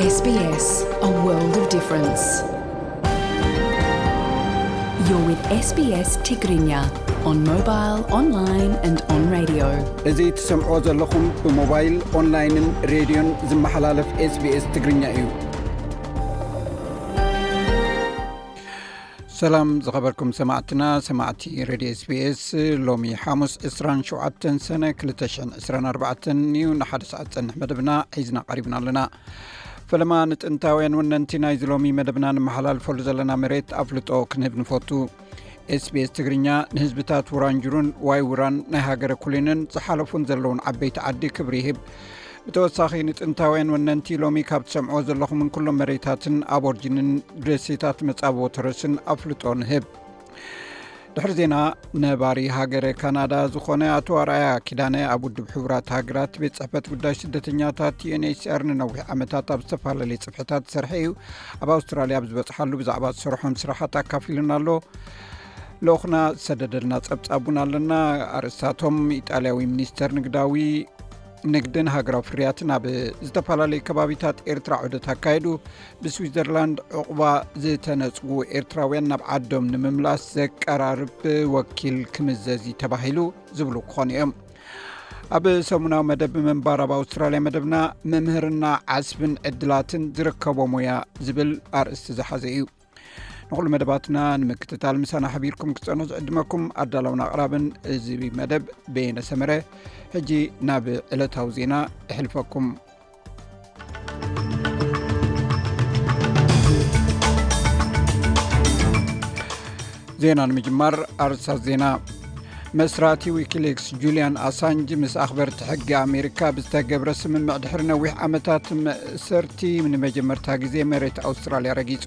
S B S, a world of difference. You're with S B S Tigrinya on mobile, online and on radio. እዚ ትሰምዕዎ ዘለኹም ብሞባይል፣ ኦንላይንን ሬድዮን ዝመሓላለፍ SBS ትግርኛ እዩ። ሰላም ዝኸበርኩም ሰማዕትና፣ ሰማዕቲ ሬድዮ SBS፣ ሎሚ ሓሙስ ዕስራን ሸውዓተን ሰነ ክልተ ሽሕን ዕስራን ኣርባዕተን እዩ። ንሓደ ሰዓት ዝጸንሕ መደብና ሒዝና ቀሪብና ኣለና። ፈለማ ንጥንታውያን ወነንቲ ናይዚ ሎሚ መደብና ንመሓላልፈሉ ዘለና መሬት ኣፍልጦ ክንህብ ንፈቱ። SBS ትግርኛ ንህዝብታት ውራንጅሩን ዋይ ውራን ናይ ሃገረ ኩሊንን ዝሓለፉን ዘለውን ዓበይቲ ዓዲ ክብሪ ይህብ። ብተወሳኺ ንጥንታውያን ወነንቲ ሎሚ ካብ ትሰምዕዎ ዘለኹምን ኩሎም መሬታትን ኣቦርጅንን ደሴታት መጻብቦ ተረስን ኣፍልጦ ንህብ። ድሕሪ ዜና፣ ነባሪ ሃገረ ካናዳ ዝኾነ ኣቶ ኣርኣያ ኪዳነ ኣብ ውድብ ሕቡራት ሃገራት ቤት ጽሕፈት ጉዳይ ስደተኛታት ዩ ኤን ኤች ሲ ኣር ንነዊሕ ዓመታት ኣብ ዝተፈላለየ ጽፍሕታት ዝሰርሐ እዩ። ኣብ ኣውስትራልያ ኣብ ዝበጽሓሉ ብዛዕባ ዝሰርሖም ስራሓት ኣካፊሉና ኣሎ። ልኡኽና ዝሰደደልና ጸብጻብ እውን ኣለና። ኣርእስታቶም፣ ኢጣልያዊ ሚኒስተር ንግዳዊ ንግድን ሃገራዊ ፍርያትን ኣብ ዝተፈላለዩ ከባቢታት ኤርትራ ዑደት ኣካየዱ። ብስዊዘርላንድ ዕቑባ ዝተነጽጉ ኤርትራውያን ናብ ዓዶም ንምምላስ ዘቀራርብ ወኪል ክምዘዝ እዩ ተባሂሉ ዝብሉ ክኾኑ እዮም። ኣብ ሰሙናዊ መደብ ምንባር ኣብ ኣውስትራልያ መደብና፣ መምህርና ዓስብን ዕድላትን ዝርከቦ ሞያ ዝብል ኣርእስቲ ዝሓዘ እዩ። ንኹሉ መደባትና ንምክትታል ምሳና ሓቢርኩም ክትጸንሑ ዝዕድመኩም ኣዳላውን ኣቕራብን እዚ መደብ በየነ ሰመረ። ሕጂ ናብ ዕለታዊ ዜና እሕልፈኩም። ዜና ንምጅማር ኣርእስታት ዜና። መስራቲ ዊኪሊክስ ጁልያን ኣሳንጅ ምስ ኣኽበርቲ ሕጊ ኣሜሪካ ብዝተገብረ ስምምዕ ድሕሪ ነዊሕ ዓመታት መእሰርቲ ንመጀመርታ ግዜ መሬት ኣውስትራልያ ረጊጹ።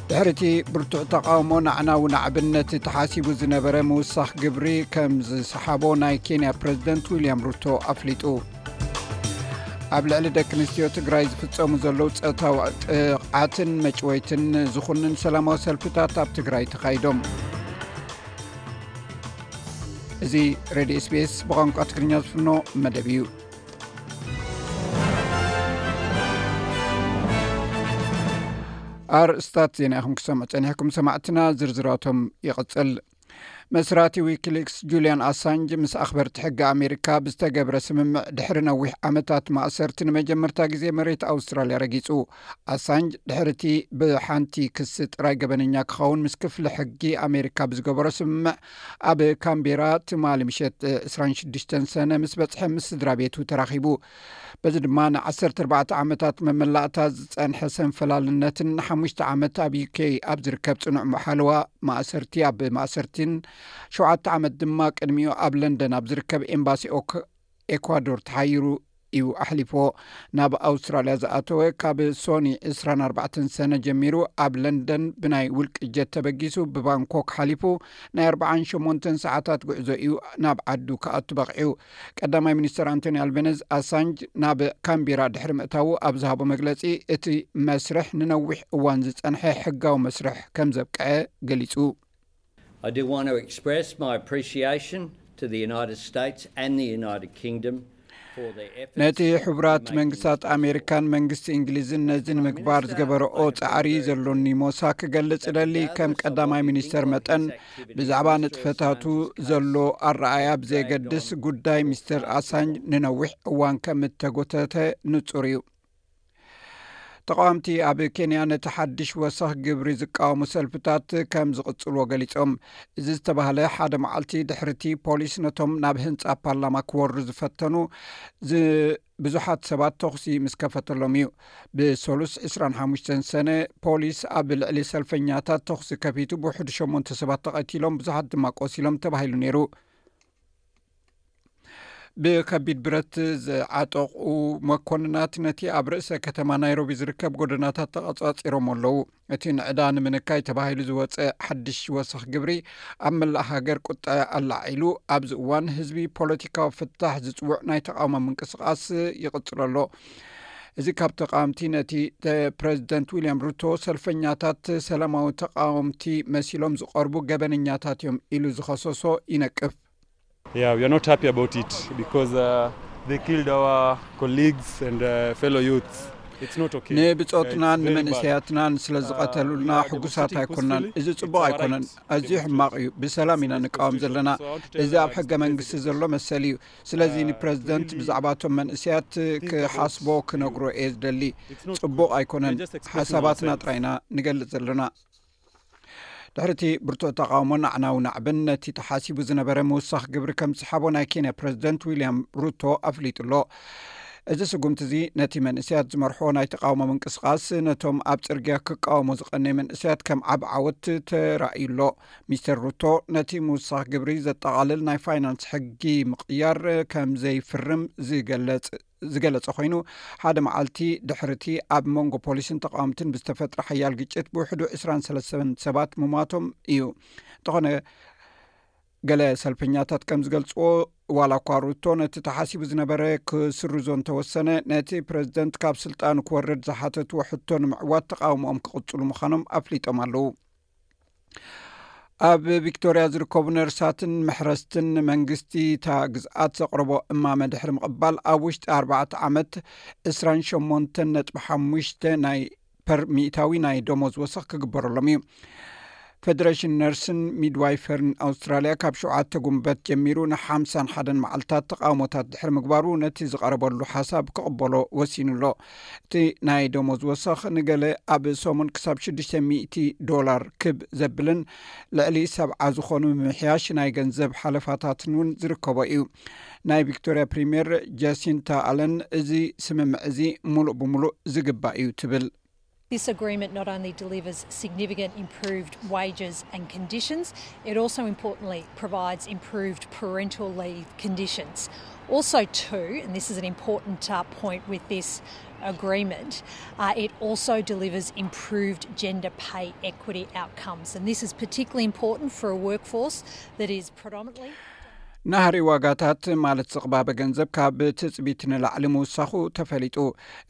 ድሕሪ እቲ ብርቱዕ ተቓውሞ፣ ንዓና እውን ኣብነቲ ተሓሲቡ ዝነበረ ምውሳኽ ግብሪ ከም ዝሰሓቦ ናይ ኬንያ ፕረዚደንት ዊልያም ሩቶ ኣፍሊጡ። ኣብ ልዕሊ ደቂ ኣንስትዮ ትግራይ ዝፍጸሙ ዘለዉ ጾታዊ ጥቕዓትን መጭወይትን ዝኹንን ሰላማዊ ሰልፍታት ኣብ ትግራይ ተኻይዶም። እዚ ሬድዮ ኤስ ቢ ኤስ ብቋንቋ ትግርኛ ዝፍኖ መደብ እዩ። ኣርእስታት ዜና ኢኹም ክሰምዑ ጸኒሕኩም ሰማዕትና፣ ዝርዝራቶም ይቕጽል። መስራቲ ዊኪሊክስ ጁልያን ኣሳንጅ ምስ ኣኽበርቲ ሕጊ ኣሜሪካ ብዝተገብረ ስምምዕ ድሕሪ ነዊሕ ዓመታት ማእሰርቲ ንመጀመርታ ግዜ መሬት ኣውስትራልያ ረጊጹ። ኣሳንጅ ድሕሪ እቲ ብሓንቲ ክሲ ጥራይ ገበነኛ ክኸውን ምስ ክፍሊ ሕጊ ኣሜሪካ ብዝገበሮ ስምምዕ ኣብ ካምቤራ ትማሊ ምሸት ዕስራን ሽዱሽተን ሰነ ምስ በጽሐ ምስ ስድራ ቤቱ ተራኺቡ። በዚ ድማ ን ዓሰርተ ኣርባዕተ ዓመታት መመላእታ ዝጸንሐ ሰንፈላልነትን ንሓሙሽተ ዓመት ኣብ ዩ ኬ ኣብ ዝርከብ ጽኑዕ ሓለዋ ማእሰርቲ ኣብ ማእሰርቲን ሸውዓተ ዓመት ድማ ቅድሚኡ ኣብ ለንደን ኣብ ዝርከብ ኤምባሲ ኦክ-፣ ኤኳዶር ተሓይሩ እዩ ኣሕሊፍዎ። ናብ ኣውስትራልያ ዝኣተወ ካብ ሶኒ ዕስራን ኣርባዕተን ሰነ ጀሚሩ ኣብ ለንደን ብናይ ውልቂ ጀት ተበጊሱ ብባንኮክ ሓሊፉ ናይ ኣርባዓን ሸሞንተን ሰዓታት ጉዕዞ እዩ ናብ ዓዱ ክኣቱ በቒዑ። ቀዳማይ ሚኒስተር ኣንቶኒ ኣልቤነዝ ኣሳንጅ ናብ ካምቤራ ድሕሪ ምእታዉ ኣብ ዝሃቦ መግለጺ፣ እቲ መስርሕ ንነዊሕ እዋን ዝጸንሐ ሕጋዊ መስርሕ ከም ዘብቅዐ ገሊጹ። I do want to express my appreciation to the United States and the United Kingdom for their efforts ነቲ to ሕቡራት make መንግስታት things ኣሜሪካን መንግስቲ እንግሊዝን ነዚ ንምግባር ዝገበረኦ ጻዕሪ ዘሎኒ ሞሳ ክገልጽ እደሊ። ከም ቀዳማይ ሚኒስተር መጠን፣ ብዛዕባ ንጥፈታቱ ዘሎ ኣረኣእያ ብዘየገድስ፣ ጉዳይ ሚስተር ኣሳንጅ ንነዊሕ እዋን ከም እተጎተተ ንጹር እዩ። ተቓወምቲ ኣብ ኬንያ ነቲ ሓድሽ ወሰኽ ግብሪ ዝቃወሙ ሰልፍታት ከም ዝቕጽልዎ ገሊጾም። እዚ ዝተባህለ ሓደ መዓልቲ ድሕሪቲ ፖሊስ ነቶም ናብ ህንጻ ፓርላማ ክወርዱ ዝፈተኑ ዝ-፣ ብዙሓት ሰባት ተኹሲ ምስ ከፈተሎም እዩ። ብሰሉስ ዕስራን ሓሙሽተን ሰነ ፖሊስ ኣብ ልዕሊ ሰልፈኛታት ተኹሲ ከፊቱ ብውሕዱ ሸሞንተ ሰባት ተቐቲሎም፣ ብዙሓት ድማ ቆሲሎም ተባሂሉ ነይሩ። ብከቢድ ብረት ዝዓጠቑ መኮንናት ነቲ ኣብ ርእሰ ከተማ ናይሮቢ ዝርከብ ጎደናታት ተቐጻጺሮም ኣለዉ። እቲ ንዕዳ ንምንካይ ተባሂሉ ዝወጸ ሓድሽ ወሰኽ ግብሪ ኣብ መላእ ሃገር ቁጠዐ ኣላዒሉ፣ ኣብዚ እዋን ህዝቢ ፖለቲካዊ ፍታሕ ዝጽውዕ ናይ ተቓውሞ ምንቅስቓስ ይቕጽሎ ኣሎ። እዚ ካብ ተቓወምቲ ነቲ ተ-፣ ፕረዚደንት ዊልያም ሩቶ ሰልፈኛታት ሰላማዊ ተቓወምቲ መሲሎም ዝቐርቡ ገበነኛታት እዮም ኢሉ ዝኸሰሶ ይነቅፍ። Yeah, we are not happy about it because, uh, they killed our colleagues and, uh, fellow youths. ንብጾትናን ንመንእሰያትናን ስለ ዝቐተሉልና ሕጉሳት ኣይኮናን። እዚ ጽቡቕ ኣይኮነን። ኣዝዩ ሕማቕ እዩ። ብሰላም ኢና ንቃወም ዘለና። እዚ ኣብ ሕገ መንግስቲ ዘሎ መሰል እዩ። ስለዚ ንፕረዚደንት ብዛዕባቶም መንእሰያት ክሓስቦ ክነግሮ እየ ዝደሊ። ጽቡቕ ኣይኮነን። ሓሳባትና ጥራይና ንገልጽ ዘለና። ድሕሪቲ ብርቱዕ ተቓውሞን ኣዕናዊ ናዕብን፣ ነቲ ተሓሲቡ ዝነበረ ምውሳኽ ግብሪ ከም ዝሰሓቦ ናይ ኬንያ ፕረዚደንት ዊልያም ሩቶ ኣፍሊጡ ኣሎ። እዚ ስጉምቲ እዚ ነቲ መንእሰያት ዝመርሕዎ ናይ ተቓውሞ ምንቅስቓስ፣ ነቶም ኣብ ጽርግያ ክቃወሙ ዝቐነዩ መንእሰያት ከም ዓቢ ዓወት ተራእዩ ኣሎ። ሚስተር ሩቶ ነቲ ምውሳኽ ግብሪ ዘጠቓልል ናይ ፋይናንስ ሕጊ ምቕያር ከም ዘይፍርም ዝገለጽ ዝገለጸ ኮይኑ፣ ሓደ መዓልቲ ድሕርቲ ኣብ መንጎ ፖሊስን ተቃወምትን ብዝተፈጥረ ሓያል ግጭት ብውሕዱ ዕስራን ሰለስተን ሰባት ምሟቶም እዩ። እንተኾነ፣ ገለ ሰልፈኛታት ከም ዝገልጽዎ፣ ዋላ እኳ ሩቶ ነቲ ተሓሲቡ ዝነበረ ክስርዞ እንተወሰነ፣ ነቲ ፕረዚደንት ካብ ስልጣኑ ክወርድ ዝሓተትዎ ሕቶ ንምዕዋት ተቃውሞኦም ክቕጽሉ ምዃኖም ኣፍሊጦም ኣለዉ። ኣብ ቪክቶርያ ዝርከቡ ነርሳትን መሕረስትን፣ መንግስቲ እታ ግዝኣት ዘቕረቦ እማመ ድሕሪ ምቕባል፣ ኣብ ውሽጢ ኣርባዕተ ዓመት ዕስራን ሸሞንተን ነጥቢ ሓሙሽተ ናይ ፐር ሚእታዊ ናይ ደሞዝ ወሰኽ ክግበረሎም እዩ። ፌደሬሽን ነርስን ሚድዋይፈርን ኣውስትራልያ ካብ ሸውዓተ ጉንበት ጀሚሩ ንሓምሳን ሓደን መዓልታት ተቃውሞታት ድሕሪ ምግባሩ፣ ነቲ ዝቐረበሉ ሓሳብ ክቕበሎ ወሲኑ ኣሎ። እቲ ናይ ደሞዝ ወሰኽ ንገለ ኣብ ሰሙን ክሳብ ሽዱሽተ ሚእቲ ዶላር ክብ ዘብልን ልዕሊ ሰብዓ ዝኾኑ ምምሕያሽ ናይ ገንዘብ ሓለፋታትን እውን ዝርከቦ እዩ። ናይ ቪክቶርያ ፕሪምየር ጃሲንታ ኣለን፣ እዚ ስምምዕ እዚ ሙሉእ ብሙሉእ ዝግባእ እዩ ትብል። This agreement not only delivers significant improved wages and conditions, it also importantly provides improved parental leave conditions. Also, too, and this is an important uh, point with this agreement, uh, it also delivers improved gender pay equity outcomes. And this is particularly important for a workforce that is predominantly ናህሪ ዋጋታት፣ ማለት ዝቕባበ ገንዘብ፣ ካብ ትጽቢት ንላዕሊ ምውሳኹ ተፈሊጡ።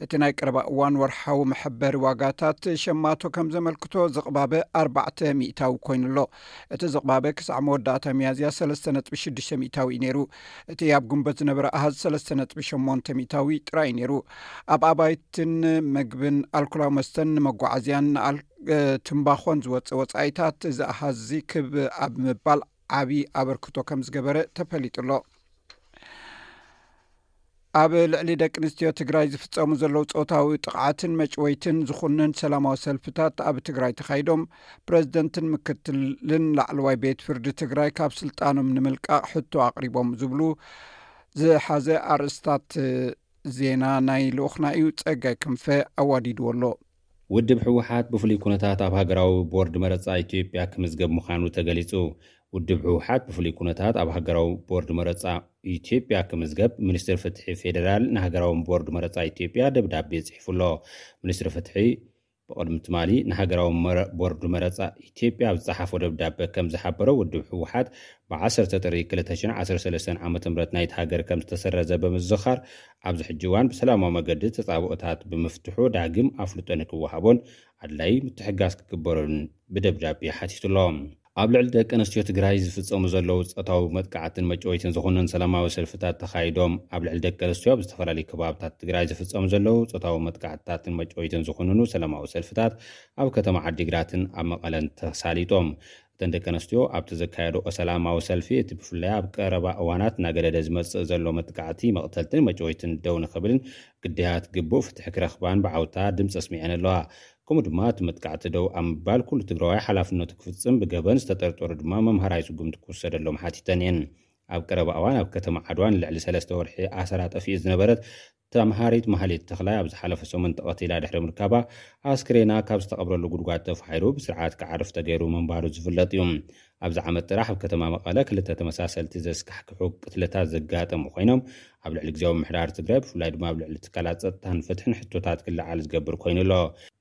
እቲ ናይ ቀረባ እዋን ወርሓዊ መሐበሪ ዋጋታት ሸማቶ ከም ዘመልክቶ፣ ዝቕባበ ኣርባዕተ ሚእታዊ ኮይኑ ኣሎ። እቲ ዝቕባበ ክሳዕ መወዳእታ ሚያዝያ ሰለስተ ነጥቢ ሽዱሽተ ሚእታዊ እዩ ነይሩ። እቲ ኣብ ግንቦት ዝነበረ ኣሃዝ ሰለስተ ነጥቢ ሸሞንተ ሚእታዊ ጥራይ እዩ ነይሩ። ኣብ ኣባይትን መግብን፣ ኣልኮላዊ መስተን ንመጓዓዝያን ንኣል-፣ እ፣ ትምባኾን ዝወጽእ ወጻኢታት፣ እዚ ኣሃዝ እዚ ክብ ኣብ ምባል ዓቢ ኣበርክቶ ከም ዝገበረ ተፈሊጡ ኣሎ። ኣብ ልዕሊ ደቂ ኣንስትዮ ትግራይ ዝፍጸሙ ዘለዉ ጾታዊ ጥቕዓትን መጭወይትን ዝኹንን ሰላማዊ ሰልፍታት ኣብ ትግራይ ተኻይዶም፣ ፕረዚደንትን ምክትልን ላዕለዋይ ቤት ፍርዲ ትግራይ ካብ ስልጣኖም ንምልቃቕ ሕቶ ኣቕሪቦም ዝብሉ ዝሓዘ ኣርእስታት ዜና ናይ ልኡኽና እዩ። ጸጋይ ክንፈ ኣዋዲድዎ ኣሎ። ውድብ ህወሓት ብፍሉይ ኩነታት ኣብ ሃገራዊ ቦርድ መረጻ ኢትዮጵያ ክምዝገብ ምዃኑ ተገሊጹ። ውድብ ህወሓት ብፍሉይ ኩነታት ኣብ ሃገራዊ ቦርድ መረጻ ኢትዮጵያ ክምዝገብ ሚኒስትሪ ፍትሒ ፌዴራል ንሃገራዊ ቦርድ መረጻ ኢትዮጵያ ደብዳቤ ጽሒፉ ኣሎ። ሚኒስትሪ ፍትሒ ብቕድሚ ትማሊ ንሃገራዊ መረ-፣ ቦርድ መረጻ ኢትዮጵያ ኣብ ዝጸሓፎ ደብዳቤ ከም ዝሓበሮ፣ ውድብ ህወሓት ብ ዓሰርተ ጥሪ ክልተ ሽሕን ዓሰርተ ሰለስተን ዓመተ ምህረት ናይቲ ሃገር ከም ዝተሰረዘ ብምዝኻር፣ ኣብዚ ሕጂ እዋን ብሰላማዊ መገዲ ተጻብኦታት ብምፍትሑ ዳግም ኣፍልጦ ንክወሃቦን ኣድላዪ ምትሕግጋዝ ክግበረሉን ብደብዳቤ ሓቲቱ ኣሎ። ኣብ ልዕሊ ደቂ ኣንስትዮ ትግራይ ዝፍጸሙ ዘለዉ ጾታዊ መጥቃዕትን መጭወይትን ዝኹንን ሰላማዊ ሰልፍታት ተኻይዶም። ኣብ ልዕሊ ደቂ ኣንስትዮ ኣብ ዝተፈላለዩ ከባብታት ትግራይ ዝፍጸሙ ዘለዉ ጾታዊ መጥቃዕትታትን መጭወይትን ዝኹንኑ ሰላማዊ ሰልፍታት ኣብ ከተማ ዓዲግራትን ኣብ መቐለን ተሳሊጦም። እተን ደቂ ኣንስትዮ ኣብቲ ዘካየድኦ ሰላማዊ ሰልፊ፣ እቲ ብፍላይ ኣብ ቀረባ እዋናት እናገደደ ዝመጽእ ዘሎ መጥቃዕቲ፣ መቕተልትን መጭወይትን ደው ንኽብልን ግዳያት ግቡእ ፍትሒ ክረኽባን ብዓውታ ድምፂ ኣስሚዐን ኣለዋ። ከምኡ ድማ እቲ መጥቃዕቲ ደው ኣብ ምባል ኩሉ ትግራዋይ ሓላፍነቱ ክፍፅም፣ ብገበን ዝተጠርጠሩ ድማ መምሃራይ ስጉምቲ ክውሰደሎም ሓቲተን እየን። ኣብ ቀረባ እዋን ኣብ ከተማ ዓድዋ ንልዕሊ ሰለስተ ወርሒ ኣሰራ ጠፊኡ ዝነበረት ተምሃሪት ማህሌት ተኽላይ ኣብ ዝሓለፈ ሰሙን ተቐቲላ ድሕሪ ምርካባ፣ ኣስክሬና ካብ ዝተቐብረሉ ጉድጓድ ተፋሒሩ ብስርዓት ክዓርፍ ተገይሩ ምንባሩ ዝፍለጥ እዩ። ኣብዚ ዓመት ጥራሕ ኣብ ከተማ መቐለ ክልተ ተመሳሰልቲ ዘስካሕክሑ ቅትለታት ዘጋጠሙ ኮይኖም፣ ኣብ ልዕሊ ግዝያዊ ምምሕዳር ትግራይ፣ ብፍላይ ድማ ኣብ ልዕሊ ትካላት ጸጥታን ፍትሕን ሕቶታት ክለዓል ዝገብር ኮይኑ ኣሎ።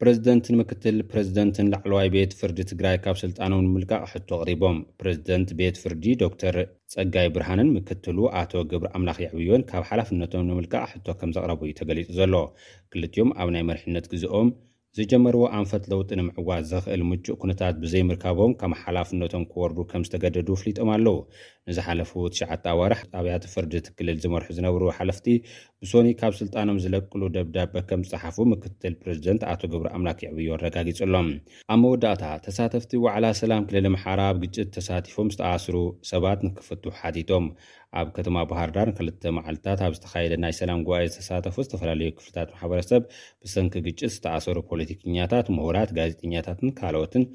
ፕረዚደንትን ምክትል ፕረዚደንትን ላዕለዋይ ቤት ፍርዲ ትግራይ ካብ ስልጣኖም ንምልቃቕ ሕቶ ኣቕሪቦም። ፕረዚደንት ቤት ፍርዲ ዶክተር ጸጋይ ብርሃንን ምክትሉ ኣቶ ገብረ ኣምላኽ የዕብዮን ካብ ሓላፍነቶም ንምልቃቕ ሕቶ ከም ዘቕረቡ እዩ ተገሊጹ ዘሎ። ክልቲኦም ኣብ ናይ መሪሕነት ግዜኦም ዝጀመርዎ ኣንፈት ለውጢ ንምዕዋት ዘኽእል ምቹእ ኩነታት ብዘይምርካቦም፣ ካብ ሓላፍነቶም ክወርዱ ከም ዝተገደዱ ኣፍሊጦም ኣለዉ። ንዝሓለፉ ትሽዓተ ኣዋርሕ ኣብያተ ፍርዲ እቲ ክልል ዝመርሑ ዝነበሩ ሓለፍቲ፣ ብሶኒ ካብ ስልጣኖም ዝለቅሉ ደብዳበ ከም ዝጸሓፉ ምክትል ፕሬዚደንት ኣቶ ገብረ ኣምላክ የዕብዮ ኣረጋጊጹ ኣሎ። ኣብ መወዳእታ፣ ተሳተፍቲ ዋዕላ ሰላም ክልል ኣምሓራ፣ ኣብ ግጭት ተሳቲፎም ዝተኣስሩ ሰባት ንክፍትሑ ሓቲቶም። ኣብ ከተማ ባህር ዳር ክልተ መዓልታት ኣብ ዝተኻየደ ናይ ሰላም ጉባኤ ዝተሳተፉ ዝተፈላለዩ ክፍልታት ማሕበረሰብ፣ ብሰንኪ ግጭት ዝተኣሰሩ ፖለቲከኛታት፣ ምሁራት፣ ጋዜጠኛታትን ካልኦትን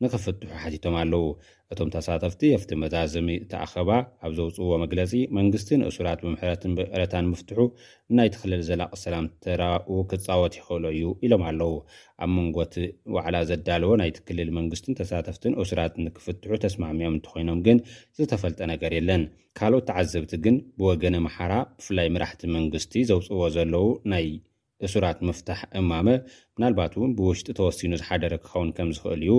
ንክፍትሑ ሓቲቶም ኣለዉ። እቶም ተሳተፍቲ ኣብቲ መዛዘሚ እቲ ኣኸባ ኣብ ዘውፅዎ መግለፂ፣ መንግስቲ ንእሱራት ብምሕረትን ብይቕረታን ምፍትሑ ናይቲ ክልል ዘላቂ ሰላም ተራኡ ክፃወት ይኽእሎ እዩ ኢሎም ኣለዉ። ኣብ መንጎ እቲ ዋዕላ ዘዳለወ ናይቲ ክልል መንግስትን ተሳተፍትን እሱራት ንክፍትሑ ተስማሚኦም እንተኾይኖም ግን ዝተፈልጠ ነገር የለን። ካልኦት ተዓዘብቲ ግን ብወገነ ኣምሓራ፣ ብፍላይ መራሕቲ መንግስቲ ዘውፅዎ ዘለዉ ናይ እሱራት ምፍታሕ እማመ፣ ምናልባት እውን ብውሽጢ ተወሲኑ ዝሓደረ ክኸውን ከም ዝኽእል እዩ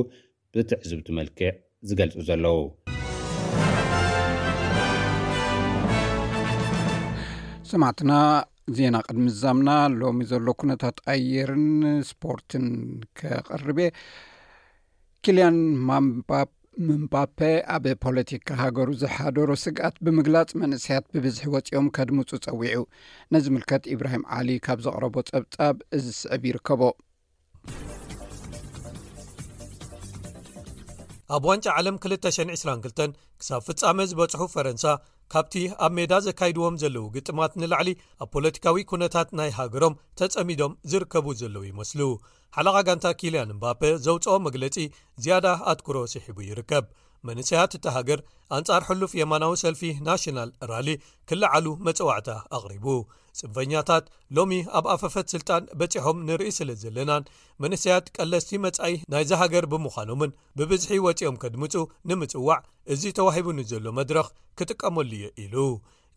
ብትዕዝብቲ መልክዕ ዝገልጹ ዘለዉ። ሰማዕትና፣ ዜና ቅድሚ ዛምና ሎሚ ዘሎ ኩነታት ኣየርን ስፖርትን ከቕርብ እየ። ኪልያን ማምባ-፣ ምምባፔ ኣብ ፖለቲካ ሃገሩ ዝሓደሮ ስግኣት ብምግላጽ፣ መንእሰያት ብብዝሒ ወጺኦም ከድምጹ ጸዊዑ። ነዚ ምልከት ኢብራሂም ዓሊ ካብ ዘቕረቦ ጸብጻብ እዚ ስዕብ ይርከቦ። ኣብ ዋንጫ ዓለም ክልተ ሽሕን ዕስራን ክልተን ክሳብ ፍጻመ ዝበጽሑ ፈረንሳ፣ ካብቲ ኣብ ሜዳ ዘካይድዎም ዘለዉ ግጥማት ንላዕሊ፣ ኣብ ፖለቲካዊ ኩነታት ናይ ሃገሮም ተጸሚዶም ዝርከቡ ዘለዉ ይመስሉ። ሓለቓ ጋንታ ኪልያን ምባፔ ዘውጽኦ መግለጺ ዝያዳ ኣትኩሮ ስሒቡ ይርከብ። መንእሰያት እታ ሃገር ኣንጻር ሕሉፍ የማናዊ ሰልፊ ናሽናል ራሊ ክለዓሉ መጸዋዕታ ኣቕሪቡ። ጽንፈኛታት ሎሚ ኣብ ኣፈፈት ስልጣን በጺሖም ንርኢ ስለ ዘለናን፣ መንእሰያት ቀለስቲ መጻኢ ናይዛ ሃገር ብምዃኖምን፣ ብብዝሒ ወጺኦም ከድምጹ ንምጽዋዕ፣ እዚ ተዋሂቡኒ ዘሎ መድረኽ ክጥቀመሉ እየ ኢሉ።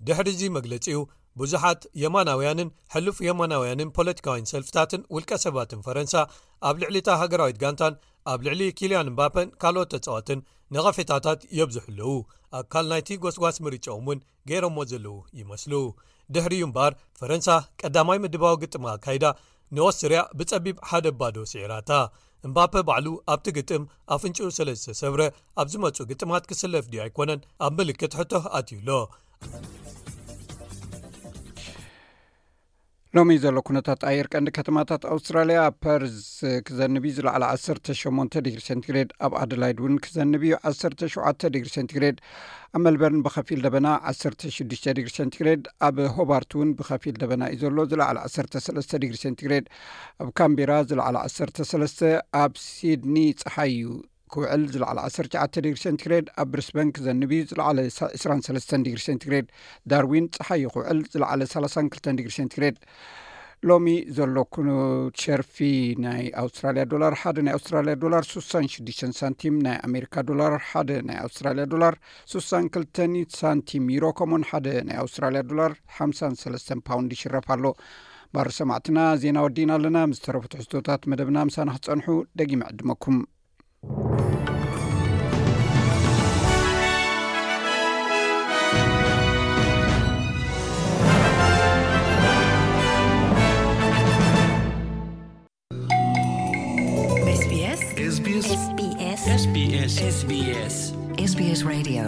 ድሕሪ እዚ መግለጺኡ፣ ብዙሓት የማናውያንን ሕሉፍ የማናውያንን ፖለቲካውያን ሰልፍታትን ውልቀ ሰባትን ፈረንሳ፣ ኣብ ልዕሊ እታ ሃገራዊት ጋንታን ኣብ ልዕሊ ኪልያን ምባፐን ካልኦት ተጻወትን ነቐፌታታት የብዝሑ ኣለዉ። ኣካል ናይቲ ጎስጓስ ምርጫኦም እውን ገይሮሞ ዘለዉ ይመስሉ። ድሕሪኡ እምበኣር፣ ፈረንሳ ቀዳማይ ምድባዊ ግጥማ ኣካይዳ፣ ንኦስትርያ ብጸቢብ ሓደ ባዶ ስዒራታ። እምባፔ ባዕሉ ኣብቲ ግጥም ኣፍንጭኡ ስለ ዝተሰብረ፣ ኣብ ዝመጹ ግጥማት ክስለፍ ድዩ ኣይኮነን ኣብ ምልክት ሕቶ ኣትዩ ኣሎ። ሎሚ ዘሎ ኩነታት ኣየር ቀንዲ ከተማታት ኣውስትራልያ፣ ኣብ ፐርዝ ክዘንብ እዩ፣ ዝለዓለ ዓሰርተ ሸሞንተ ዲግሪ ሴንቲግሬድ፣ ኣብ ኣደላይድ እውን ክዘንብ እዩ፣ ዓሰርተ ሸውዓተ ዲግሪ ሴንቲግሬድ፣ ኣብ ሜልበርን ብኸፊል ደበና፣ ዓሰርተ ሽዱሽተ ዲግሪ ሴንቲግሬድ፣ ኣብ ሆባርት እውን ብኸፊል ደበና እዩ ዘሎ፣ ዝለዓለ ዓሰርተ ሰለስተ ዲግሪ ሴንቲግሬድ፣ ኣብ ካምቤራ ዝለዓለ ዓሰርተ ሰለስተ፣ ኣብ ሲድኒ ጸሓይ እዩ ክውዕል፣ ዝለዓለ ዓሰርተ ትሽዓተ ዲግሪ ሴንቲግሬድ፣ ኣብ ብሪስበን ክዘንብ እዩ፣ ዝለዓለ ዕስራን ሰለስተን ዲግሪ ሴንቲግሬድ፣ ዳርዊን ጸሓይ እዩ ክውዕል፣ ዝለዓለ ሰላሳን ክልተን ዲግሪ ሴንቲግሬድ። ሎሚ ዘሎ ኩኑ ሸርፊ ናይ ኣውስትራልያ ዶላር፣ ሓደ ናይ ኣውስትራልያ ዶላር ስሳን ሽዱሽተን ሳንቲም፣ ናይ ኣሜሪካ ዶላር ሓደ ናይ ኣውስትራልያ ዶላር ስሳን ክልተን ሳንቲም፣ ዩሮ ከምኡን ሓደ ናይ ኣውስትራልያ ዶላር ሓምሳን ሰለስተን ፓውንድ ይሽረፍ ኣሎ። ባር ሰማዕትና፣ ዜና ወዲእና ኣለና። ምስ ተረፉ ትሕዝቶታት መደብና ምሳና ክትጸንሑ ደጊመ ዕድመኩም። SBS SBS SBS SBS SBS SBS Radio።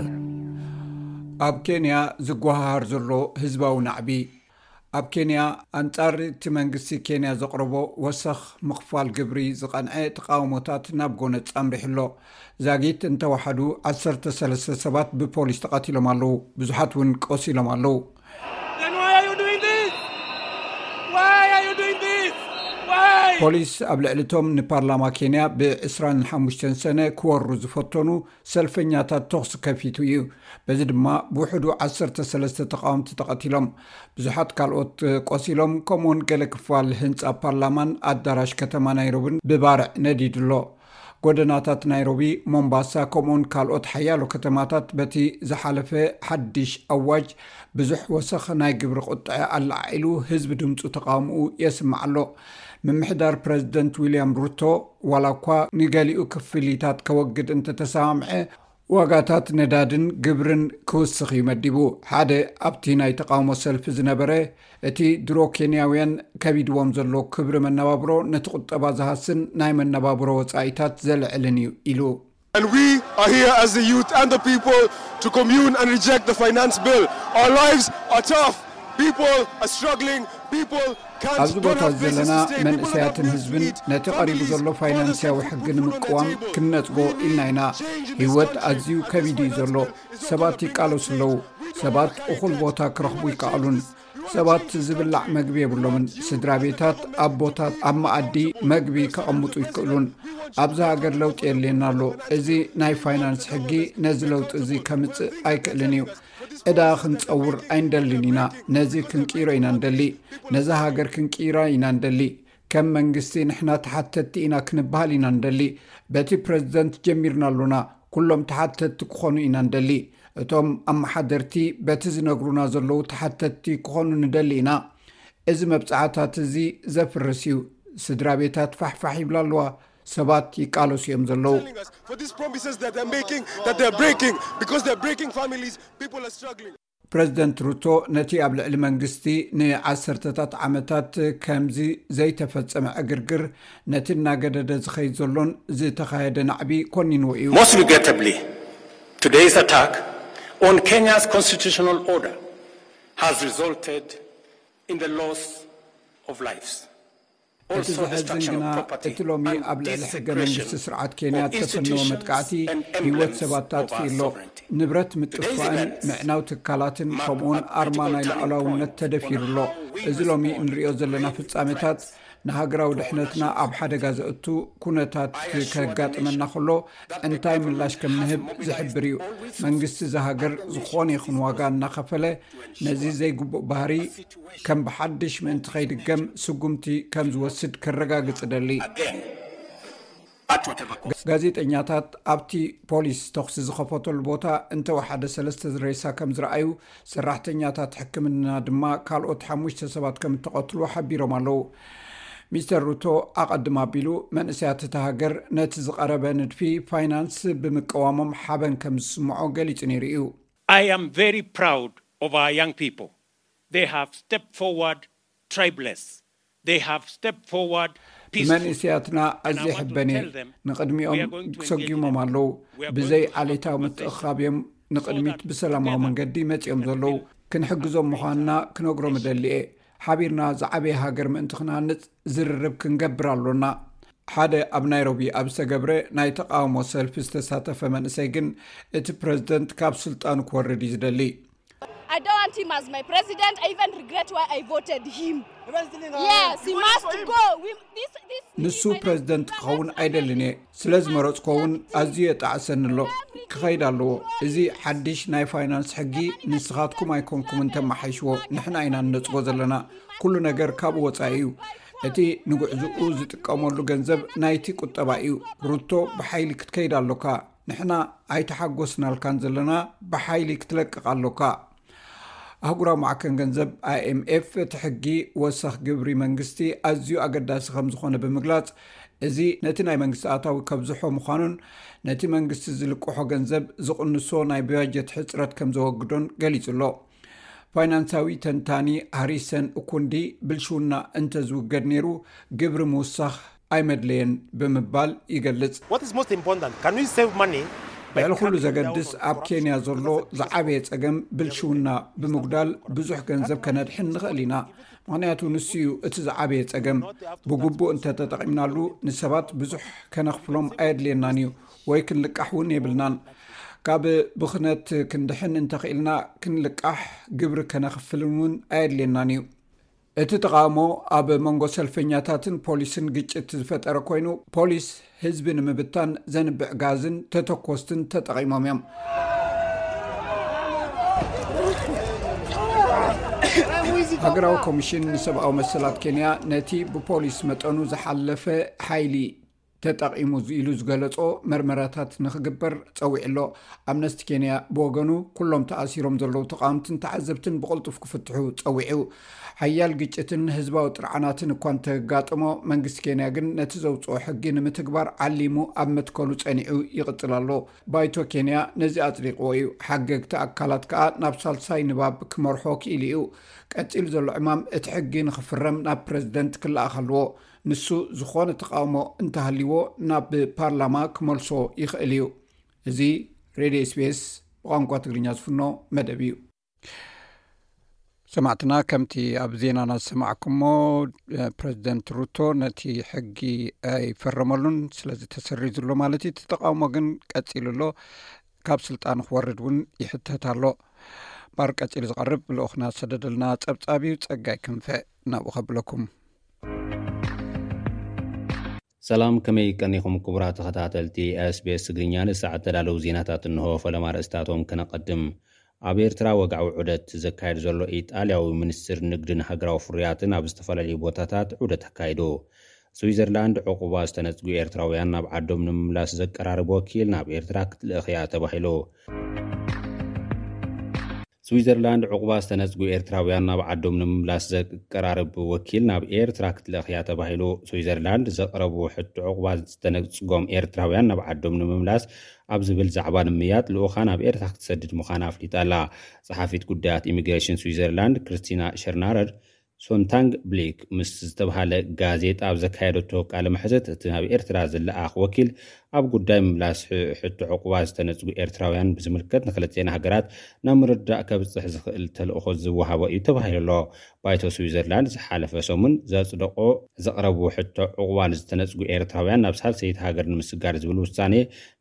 ኣብ ኬንያ ዝጓሃሃር ዘሎ ህዝባዊ ናዕቢ። ኣብ ኬንያ፣ ኣንጻር እቲ መንግስቲ ኬንያ ዘቕረቦ ወሰኽ ምኽፋል ግብሪ ዝቐንዐ ተቓውሞታት ናብ ጎነጽ ኣምሪሑ ኣሎ። ዛጊት እንተወሓዱ ዓሰርተ ሰለስተ ሰባት ብፖሊስ ተቐቲሎም ኣለዉ፣ ብዙሓት እውን ቆሲሎም ኣለዉ። Then why are you doing this? Why are you doing this? Why? ፖሊስ ኣብ ልዕሊ እቶም ንፓርላማ ኬንያ ብ ዕስራን ሓሙሽተን ሰነ ክወሩ ዝፈተኑ ሰልፈኛታት ተኹሲ ከፊቱ እዩ። በዚ ድማ ብውሕዱ ዓሰርተ ሰለስተ ተቓወምቲ ተቐቲሎም፣ ብዙሓት ካልኦት ቆሲሎም፣ ከምኡውን ገለ ክፋል ህንጻ ፓርላማን ኣዳራሽ ከተማ ናይሮብን ብባርዕ ነዲዱ ኣሎ። ጎደናታት ናይሮቢ፣ ሞምባሳ፣ ከምኡውን ካልኦት ሓያሎ ከተማታት በቲ ዝሓለፈ ሓድሽ ኣዋጅ ብዙሕ ወሰኽ ናይ ግብሪ ቁጥዐ ኣለዓዒሉ ህዝቢ ድምፁ ተቓውምኡ የስምዕ ኣሎ። ምምሕዳር ፕረዚደንት ዊልያም ሩቶ ዋላ እኳ ንገሊኡ ክፍሊታት ከወግድ እንተተሰማምዐ፣ ዋጋታት ነዳድን ግብርን ክውስኽ እዩ መዲቡ። ሓደ ኣብቲ ናይ ተቓውሞ ሰልፊ ዝነበረ፣ እቲ ድሮ ኬንያውያን ከቢድዎም ዘሎ ክብሪ መነባብሮ ነቲ ቁጠባ ዝሃስን ናይ መነባብሮ ወጻኢታት ዘልዕልን እዩ ኢሉ። And we are here as the youth and the people to commune and reject the finance bill. Our lives are tough. People are struggling. People can't, ኣብዚ don't ቦታ have places ዘለና to stay. People don't have መንእሰያትን meals to ህዝብን eat. ነቲ ቀሪቡ Families, ዘሎ fathers ፋይናንስያዊ have ሕጊ food on the ንምቅዋም table. ክንነጽጎ We need ኢልና ኢና። change in this ህይወት country. ኣዝዩ And this ከቢዱ እዩ finance ዘሎ። bill is not ሰባት gonna bring ይቃለሱ us ኣለዉ። change. We cannot ሰባት take እኹል it. ቦታ ክረኽቡ We ይከኣሉን። cannot take it. ሰባት ዝብላዕ መግቢ የብሎምን። ስድራ ቤታት ኣብ ቦታት ኣብ መኣዲ መግቢ ከቐምጡ ይክእሉን። ኣብዚ ሃገር ለውጢ የድልየና ኣሎ። እዚ ናይ ፋይናንስ ሕጊ ነዚ ለውጢ እዚ ከምጽእ ኣይክእልን እዩ። ዕዳ ክንጸውር ኣይንደልን ኢና። ነዚ ክንቅይሮ ኢና ንደሊ። ነዛ ሃገር ክንቅይራ ኢና ንደሊ። ከም መንግስቲ ንሕና ተሓተትቲ ኢና ክንበሃል ኢና ንደሊ። በቲ ፕረዚደንት ጀሚርና ኣሎና። ኩሎም ተሓተትቲ ክኾኑ ኢና ንደሊ። እቶም ኣመሓደርቲ በቲ ዝነግሩና ዘለዉ ተሓተትቲ ክኾኑ ንደሊ ኢና። እዚ መብጻዕታት እዚ ዘፍርስ እዩ። ስድራ ቤታት ፋሕፋሕ ይብላ ኣለዋ። ሰባት ይቃለሱ እዮም ዘለዉ። Telling us for these promises that they're making, that they're breaking, because they're breaking families, people are struggling. ፕረዚደንት ሩቶ ነቲ ኣብ ልዕሊ መንግስቲ ንዓሰርተታት ዓመታት ከምዚ ዘይተፈጸመ ዕግርግር፣ ነቲ እናገደደ ዝኸይድ ዘሎን ዝተኻየደ ናዕቢ ኮኒንዎ እዩ። Most regrettably, today's attack on Kenya's constitutional order has resulted in the loss of lives. እቲ ዘሕዝን ግና፣ እቲ ሎሚ ኣብ ልዕሊ ሕገ መንግስቲ ስርዓት ኬንያ እተፈነወ መጥቃዕቲ ህይወት ሰባት ኣጥፊኡ ኣሎ። ንብረት ምጥፋእን ምዕናው ትካላትን ከምኡውን ኣርማ ናይ ልዑላውነት ተደፊሩ ኣሎ። እዚ ሎሚ እንሪኦ ዘለና ፍጻሜታት ንሃገራዊ ድሕነትና ኣብ ሓደጋ ዘእቱ ኩነታት ከጋጥመና ከሎ እንታይ ምላሽ ከም ንህብ ዝሕብር እዩ። መንግስቲ እዛ ሃገር ዝኾነ ይኹን ዋጋ እናኸፈለ ነዚ ዘይግቡእ ባህሪ ከም ብሓድሽ ምእንቲ ከይድገም ስጉምቲ ከም ዝወስድ ከረጋግጽ እደሊ። ጋዜጠኛታት ኣብቲ ፖሊስ ተኹሲ ዝኸፈተሉ ቦታ እንተወሓደ ሰለስተ ሬሳ ከም ዝረኣዩ፣ ሰራሕተኛታት ሕክምና ድማ ካልኦት ሓሙሽተ ሰባት ከም እተቐትሉ ሓቢሮም ኣለዉ። ሚስተር ሩቶ ኣቐድም ኣቢሉ መንእሰያት እታ ሃገር ነቲ ዝቐረበ ንድፊ ፋይናንስ ብምቅዋሞም ሓበን ከም ዝስምዖ ገሊጹ ነይሩ እዩ። I am very proud of our young people. They have stepped forward tribeless. They have stepped forward peacefully. ብመንእሰያትና ኣዝየ ሕበን እየ። ንቕድሚኦም ሰጒሞም ኣለዉ። ብዘይ ዓሌታዊ ምትእኽኻብ እዮም ንቕድሚት ብሰላማዊ መንገዲ መጺኦም ዘለዉ። ክንሕግዞም ምዃንና ክነግሮም እደሊ እየ። ሓቢርና ዝዓበየ ሃገር ምእንቲ ክንሃንጽ ዝርርብ ክንገብር ኣሎና። ሓደ ኣብ ናይሮቢ ኣብ ዝተገብረ ናይ ተቓውሞ ሰልፊ ዝተሳተፈ መንእሰይ ግን፣ እቲ ፕረዚደንት ካብ ስልጣኑ ክወርድ እዩ ዝደሊ። I don't want him as my president. I even regret why I voted him. Yes, he must go. We, this, this, ንሱ ፕረዚደንት ክኸውን ኣይደልን እየ። ስለ ዝመረጽኮ እውን ኣዝዩ የጣዕሰኒ ኣሎ። ክኸይድ ኣለዎ። እዚ ሓድሽ ናይ ፋይናንስ ሕጊ ንስኻትኩም ኣይኮንኩምን ተመሓይሽዎ፣ ንሕና ኢና ንነጽጎ ዘለና። ኩሉ ነገር ካብኡ ወጻኢ እዩ። እቲ ንጉዕዝኡ ዝጥቀመሉ ገንዘብ ናይቲ ቁጠባ እዩ። ሩቶ ብሓይሊ ክትከይድ ኣሎካ። ንሕና ኣይተሓጎስናልካን ዘለና፣ ብሓይሊ ክትለቅቕ ኣሎካ። ኣህጉራዊ ማዕከን ገንዘብ ኣይኤምኤፍ እቲ ሕጊ ወሰኽ ግብሪ መንግስቲ ኣዝዩ ኣገዳሲ ከም ዝኾነ ብምግላጽ፣ እዚ ነቲ ናይ መንግስቲ ኣታዊ ከብዝሖ ምዃኑን ነቲ መንግስቲ ዝልቅሖ ገንዘብ ዝቕንሶ ናይ ባጀት ሕጽረት ከም ዘወግዶን ገሊጹ ኣሎ። ፋይናንሳዊ ተንታኒ ሃሪሰን እኩንዲ፣ ብልሽውና እንተዝውገድ ነይሩ ግብሪ ምውሳኽ ኣይመድለየን ብምባል ይገልጽ። What is most important? Can we save money? ልዕሊ ኩሉ ዘገድስ ኣብ ኬንያ ዘሎ ዝዓበየ ጸገም ብልሽውና ብምጉዳል ብዙሕ ገንዘብ ከነድሕን ንኽእል ኢና። ምኽንያቱ ንሱ እዩ እቲ ዝዓበየ ጸገም። ብግቡእ እንተተጠቒምናሉ ንሰባት ብዙሕ ከነኽፍሎም ኣየድልየናን እዩ፣ ወይ ክንልቃሕ እውን የብልናን። ካብ ብኽነት ክንድሕን እንተኽኢልና ክንልቃሕ፣ ግብሪ ከነኽፍልን እውን ኣየድልየናን እዩ። እቲ ተቓውሞ ኣብ መንጎ ሰልፈኛታትን ፖሊስን ግጭት ዝፈጠረ ኮይኑ፣ ፖሊስ ህዝቢ ንምብታን ዘንብዕ ጋዝን ተተኮስትን ተጠቒሞም እዮም። ሃገራዊ ኮሚሽን ንሰብኣዊ መሰላት ኬንያ ነቲ ብፖሊስ መጠኑ ዝሓለፈ ሓይሊ ተጠቒሙ ኢሉ ዝገለጾ መርመራታት ንኽግበር ጸዊዑ ኣሎ። ኣምነስቲ ኬንያ ብወገኑ፣ ኩሎም ተኣሲሮም ዘለዉ ተቓወምትን ተዓዘብትን ብቕልጡፍ ክፍትሑ ጸዊዑ። ሓያል ግጭትን ህዝባዊ ጥርዓናትን እኳ እንተጋጠሞ፣ መንግስቲ ኬንያ ግን ነቲ ዘውፅኦ ሕጊ ንምትግባር ዓሊሙ ኣብ መትከሉ ጸኒዑ ይቕጽል ኣሎ። ባይቶ ኬንያ ነዚ ኣጽዲቕዎ እዩ። ሓገግቲ ኣካላት ከኣ ናብ ሳልሳይ ንባብ ክመርሖ ክኢሉ እዩ። ቀጺሉ ዘሎ ዕማም እቲ ሕጊ ንኽፍረም ናብ ፕረዚደንት ክለኣኽ ኣለዎ። ንሱ ዝኾነ ተቓውሞ እንተሃልይዎ ናብ ፓርላማ ክመልሶ ይኽእል እዩ። እዚ ሬድዮ ኤስቢኤስ ብቋንቋ ትግርኛ ዝፍኖ መደብ እዩ። ሰማዕትና፣ ከምቲ ኣብ ዜናና ዝሰማዕኩሞ፣ ፕረዚደንት ሩቶ ነቲ ሕጊ ኣይፈረመሉን፣ ስለዚ ተሰሪዙ ኣሎ ማለት እዩ። እቲ ተቓውሞ ግን ቀጺሉ ኣሎ። ካብ ስልጣን ክወርድ እውን ይሕተት ኣሎ። ባር ቀጺሉ ዝቐርብ ልኡኽና ዝሰደደልና ጸብጻብ እዩ። ጸጋይ ክንፈ ናብኡ ከብለኩም። ሰላም፣ ከመይ ቀኒኹም ክቡራት ተኸታተልቲ ኤስቢኤስ ትግርኛ? ንሰዓት ተዳለዉ ዜናታት እንሆ። ፈለማ ርእስታቶም ከነቐድም። ኣብ ኤርትራ ወግዓዊ ዑደት ዘካየድ ዘሎ ኢጣልያዊ ሚኒስትር ንግድን ሃገራዊ ፍርያትን ኣብ ዝተፈላለዩ ቦታታት ዑደት ኣካይዱ። ስዊዘርላንድ ዕቑባ ዝተነጽጉ ኤርትራውያን ናብ ዓዶም ንምምላስ ዘቀራርብ ወኪል ናብ ኤርትራ ክትልእኽ እያ ተባሂሉ። ስዊዘርላንድ ዕቑባ ዝተነጽጉ ኤርትራውያን ናብ ዓዶም ንምምላስ ዘቀራርብ ወኪል ናብ ኤርትራ ክትልእኽ እያ ተባሂሉ። ስዊዘርላንድ ዘቕረቡ ሕቶ ዕቑባ ዝተነጽጎም ኤርትራውያን ናብ ዓዶም ንምምላስ ኣብ ዝብል ዛዕባ ንምምይያጥ ልኡኻ ናብ ኤርትራ ክትሰድድ ምዃና ኣፍሊጣ ኣላ። ጸሓፊት ጉዳያት ኢሚግሬሽን ስዊዘርላንድ ክርስቲና ሸርናረር ሶንታንግ ብሊክ ምስ ዝተባሃለ ጋዜጣ ኣብ ዘካየደቶ ቃለ መሕትት፣ እቲ ናብ ኤርትራ ዝለኣኽ ወኪል ኣብ ጉዳይ ምምላስ ሕ-፣ ሕቶ ዕቑባ ዝተነጽጉ ኤርትራውያን ብዝምልከት ንክልቲኤን ሃገራት ናብ ምርድዳእ ከብጽሕ ዝኽእል ተልእኾ ዝወሃቦ እዩ ተባሂሉ ኣሎ። ባይቶ ስዊዘርላንድ ዝሓለፈ ሰሙን ዘጽደቆ ዘቕረቡ ሕቶ ዕቑባ ንዝተነጽጉ ኤርትራውያን ናብ ሳልሰይቲ ሃገር ንምስጋር ዝብል ውሳኔ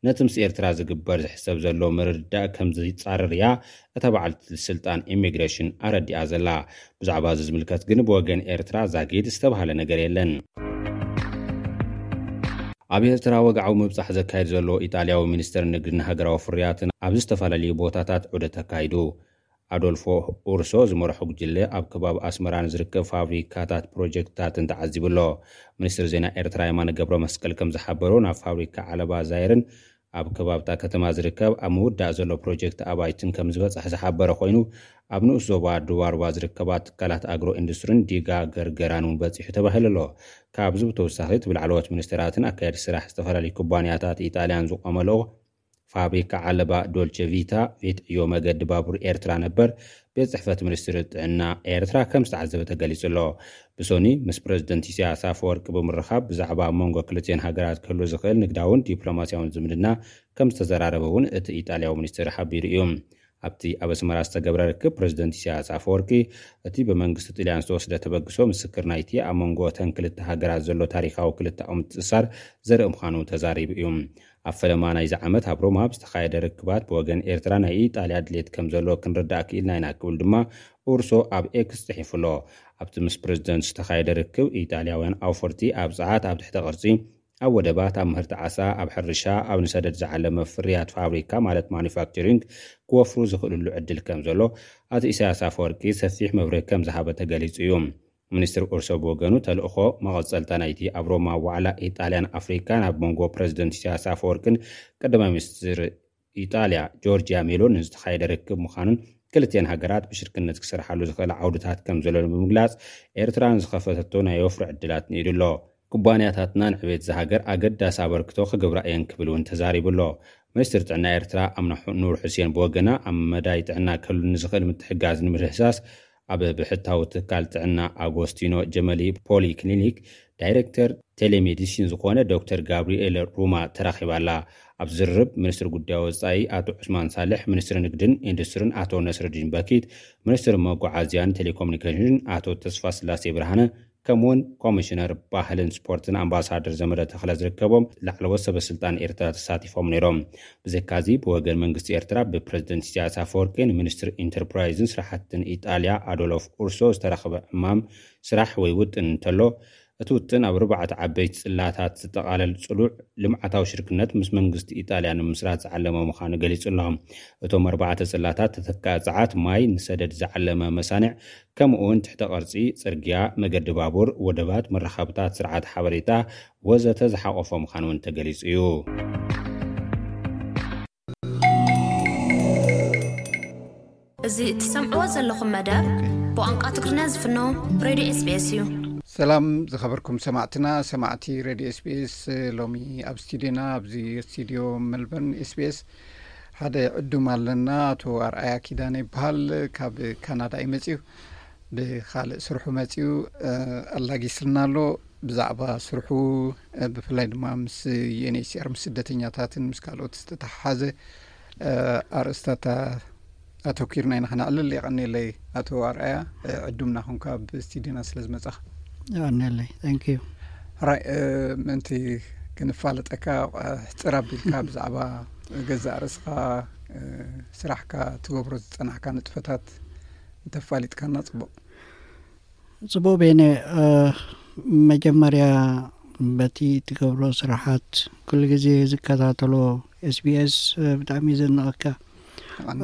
ነቲ ምስ ኤርትራ ዝግበር ዝሕሰብ ዘሎ ምርድዳእ ከም ዝጻረር እያ እታ በዓልቲ ስልጣን ኢሚግሬሽን ኣረዲኣ ዘላ። ብዛዕባ እዚ ዝምልከት ግን ብወገን ኤርትራ ዛጊድ ዝተባህለ ነገር የለን። ኣብ ኤርትራ ወግዓዊ ምብጻሕ ዘካየድ ዘሎ ኢጣልያዊ ሚኒስተር ንግድን ሃገራዊ ፍርያትን ኣብ ዝተፈላለዩ ቦታታት ዑደት ኣካይዱ። ኣዶልፎ ኡርሶ ዝመርሖ ጉጅለ ኣብ ከባቢ ኣስመራ ንዝርከብ ፋብሪካታት ፕሮጀክትታትን ተዓዚቡ ኣሎ። ሚኒስትር ዜና ኤርትራ የማነ ገብረ መስቀል ከም ዝሓበሮ፣ ናብ ፋብሪካ ዓለባ ዛይርን ኣብ ከባብታ ከተማ ዝርከብ ኣብ ምውዳእ ዘሎ ፕሮጀክት ኣባይትን ከም ዝበጽሐ ዝሓበረ ኮይኑ፣ ኣብ ንኡስ ዞባ ዱባርባ ዝርከባ ትካላት ኣግሮ ኢንዱስትሪን ዲጋ ገርገራን እውን በጺሑ ተባሂሉ ኣሎ። ካብዚ ብተወሳኺ፣ እቲ ብላዕለዎት ሚኒስትራትን ኣካየዲ ስራሕ ዝተፈላለዩ ኩባንያታት ኢጣልያን ዝቆመ ልኡኽ ፋብሪካ ዓለባ ዶልቸ ቪታ ቤት ዕዮ መገዲ ባቡር ኤርትራ ነበር ቤት ጽሕፈት ሚኒስትሪ ጥዕና ኤርትራ ከም ዝተዓዘበ ተገሊጹ ኣሎ። ብሶኒ ምስ ፕረዚደንት ኢሳያስ ኣፈወርቂ ብምርኻብ ብዛዕባ ኣብ መንጎ ክልቲኤን ሃገራት ክህሉ ዝኽእል ንግዳውን ዲፕሎማስያውን ዝምድና ከም ዝተዘራረበ እውን እቲ ኢጣልያዊ ሚኒስትር ሓቢሩ እዩ። ኣብቲ ኣብ ኣስመራ ዝተገብረ ርክብ፣ ፕረዚደንት ኢሳያስ ኣፈወርቂ፣ እቲ ብመንግስቲ ጥልያን ዝተወስደ ተበግሶ ምስክር ናይቲ ኣብ መንጎ እተን ክልተ ሃገራት ዘሎ ታሪኻዊ ክልተኣዊ ምትእስሳር ዘርኢ ምዃኑ ተዛሪቡ እዩ። ኣብ ፈለማ ናይዚ ዓመት ኣብ ሮማ ብዝተኻየደ ርክባት፣ ብወገን ኤርትራ ናይ ኢጣልያ ድሌት ከም ዘሎ ክንርዳእ ክኢልና ኢና ክብል ድማ ኡርሶ ኣብ ኤክስ ጽሒፉ ኣሎ። ኣብቲ ምስ ፕረዚደንት ዝተኻየደ ርክብ፣ ኢጣልያውያን ኣውፈርቲ ኣብ ጸዓት፣ ኣብ ትሕተ ቅርጺ፣ ኣብ ወደባት፣ ኣብ ምህርቲ ዓሳ፣ ኣብ ሕርሻ፣ ኣብ ንሰደድ ዝዓለመ ፍርያት ፋብሪካ ማለት ማኑፋክቸሪንግ ክወፍሩ ዝኽእልሉ ዕድል ከም ዘሎ ኣቶ ኢሳያስ ኣፈወርቂ ሰፊሕ መብርሂ ከም ዝሃበ ተገሊጹ እዩ። ሚኒስትር ኡርሶ ብወገኑ፣ ተልእኾ መቐጸልታ ናይቲ ኣብ ሮማ ዋዕላ ኢጣልያን ኣፍሪካን ኣብ መንጎ ፕረዚደንት ኢሳያስ ኣፈወርቅን ቀዳማይ ሚኒስትር ኢጣልያ ጆርጂያ ሜሎኒ ዝተኻየደ ርክብ ምዃኑን፣ ክልቲኤን ሃገራት ብሽርክነት ክሰርሓሉ ዝኽእላ ዓውድታት ከም ዘሎ ብምግላጽ፣ ኤርትራ ንዝኸፈተቶ ናይ ወፍሪ ዕድላት ንኢዱ ኣሎ። ኩባንያታትና ንዕቤት እዛ ሃገር ኣገዳሲ ኣበርክቶ ክገብራ እየን ክብል እውን ተዛሪቡ ኣሎ። ሚኒስትር ጥዕና ኤርትራ ኣምና ሑ-፣ ኑር ሑሴን ብወገና፣ ኣብ መዳይ ጥዕና ክህሉ ንዝኽእል ምትሕግጋዝ ንምህሳስ፣ ኣብ ብሕታዊ ትካል ጥዕና ኣጎስቲኖ ጀመሊ ፖሊ ክሊኒክ ዳይሬክተር ቴሌሜዲሲን ዝኾነ ዶክተር ጋብሪኤል ሩማ ተራኺባ ኣላ። ኣብ ዝርርብ፣ ሚኒስትር ጉዳይ ወጻኢ ኣቶ ዑስማን ሳልሕ፣ ሚኒስትሪ ንግድን ኢንዱስትሪን ኣቶ ነስረዲን በኪት፣ ሚኒስትሪ መጓዓዝያን ቴሌኮሙኒኬሽንን ኣቶ ተስፋ ስላሴ ብርሃነ፣ ከምኡውን ኮሚሽነር ባህልን ስፖርትን ኣምባሳደር ዘመደ ተኽለ ዝርከቦም ላዕለዎት ሰበ ስልጣን ኤርትራ ተሳቲፎም ነይሮም። ብዘካዚ፣ ብወገን መንግስቲ ኤርትራ ብፕረዚደንት ኢሳያስ ኣፈወርቂ ንሚኒስትሪ ኢንተርፕራይዝን ስራሕትን ኢጣልያ ኣዶሎፍ ኡርሶ ዝተረኽበ ዕማም ስራሕ ወይ ውጥን እንተሎ፣ እቲ ውጥን ኣብ ኣርባዕተ ዓበይቲ ጽላታት ዝጠቓለል ጽሉዕ ልምዓታዊ ሽርክነት ምስ መንግስቲ ኢጣልያ ንምስራት ዝዓለመ ምዃኑ ገሊጹ ኣሎ። እቶም ኣርባዕተ ጽላታት፣ ተተካኢ ጸዓት፣ ማይ፣ ንሰደድ ዝዓለመ መሳንዕ፣ ከምኡ እውን ትሕተ ቅርጺ፣ ጽርግያ፣ መገዲ ባቡር፣ ወደባት፣ መራኸብታት፣ ስርዓት ሓበሬታ ወዘተ ዝሓቖፈ ምዃኑ እውን ተገሊጹ እዩ። እዚ እትሰምዕዎ ዘለኹም መደብ ብቋንቋ ትግርኛ ዝፍኖ ሬድዮ ኤስቢኤስ እዩ። ሰላም ዝኸበርኩም ሰማዕትና፣ ሰማዕቲ ሬድዮ ኤስቢኤስ። ሎሚ ኣብ ስቱዲዮና፣ ኣብዚ ስቱዲዮ ሜልበርን ኤስቢኤስ፣ ሓደ ዕዱም ኣለና። ኣቶ ኣርኣያ ኪዳነ ይበሃል። ካብ ካናዳ እዩ መጺኡ። ብኻልእ ስርሑ መጺኡ፣ እ፣ ኣላጊስልና ኣሎ። ብዛዕባ ስርሑ፣ እ፣ ብፍላይ ድማ ምስ ዩኤንኤችሲኣር፣ ምስ ስደተኛታትን ምስ ካልኦት ዝተተሓሓዘ፣ እ፣ ኣርእስታት ኣተኲርና ኢና ክነዕልል። የቐንየለይ ኣቶ ኣርኣያ፣ እ፣ ዕዱምና ኾንካ ኣብ ስቱዲዮና ስለ ዝመጻኻ። የቐንየለይ። Thank you። ሕራይ፣ እ፣ ምእንቲ ክንፋለጠካ፣ እ፣ ሕጽር ኣቢልካ ብዛዕባ ገዛእ ርእስኻ፣ እ፣ ስራሕካ፣ ትገብሮ ዝጸናሕካ ንጥፈታት እንተፋሊጥካና ጽቡቕ። ጽቡቕ ቤነ፣ እ፣ መጀመርያ በቲ ትገብሮ ስራሓት ኩሉ ግዜ ዝከታተሎ ኤስቢኤስ፣ እ፣ ብጣዕሚ ዘድንቐካ።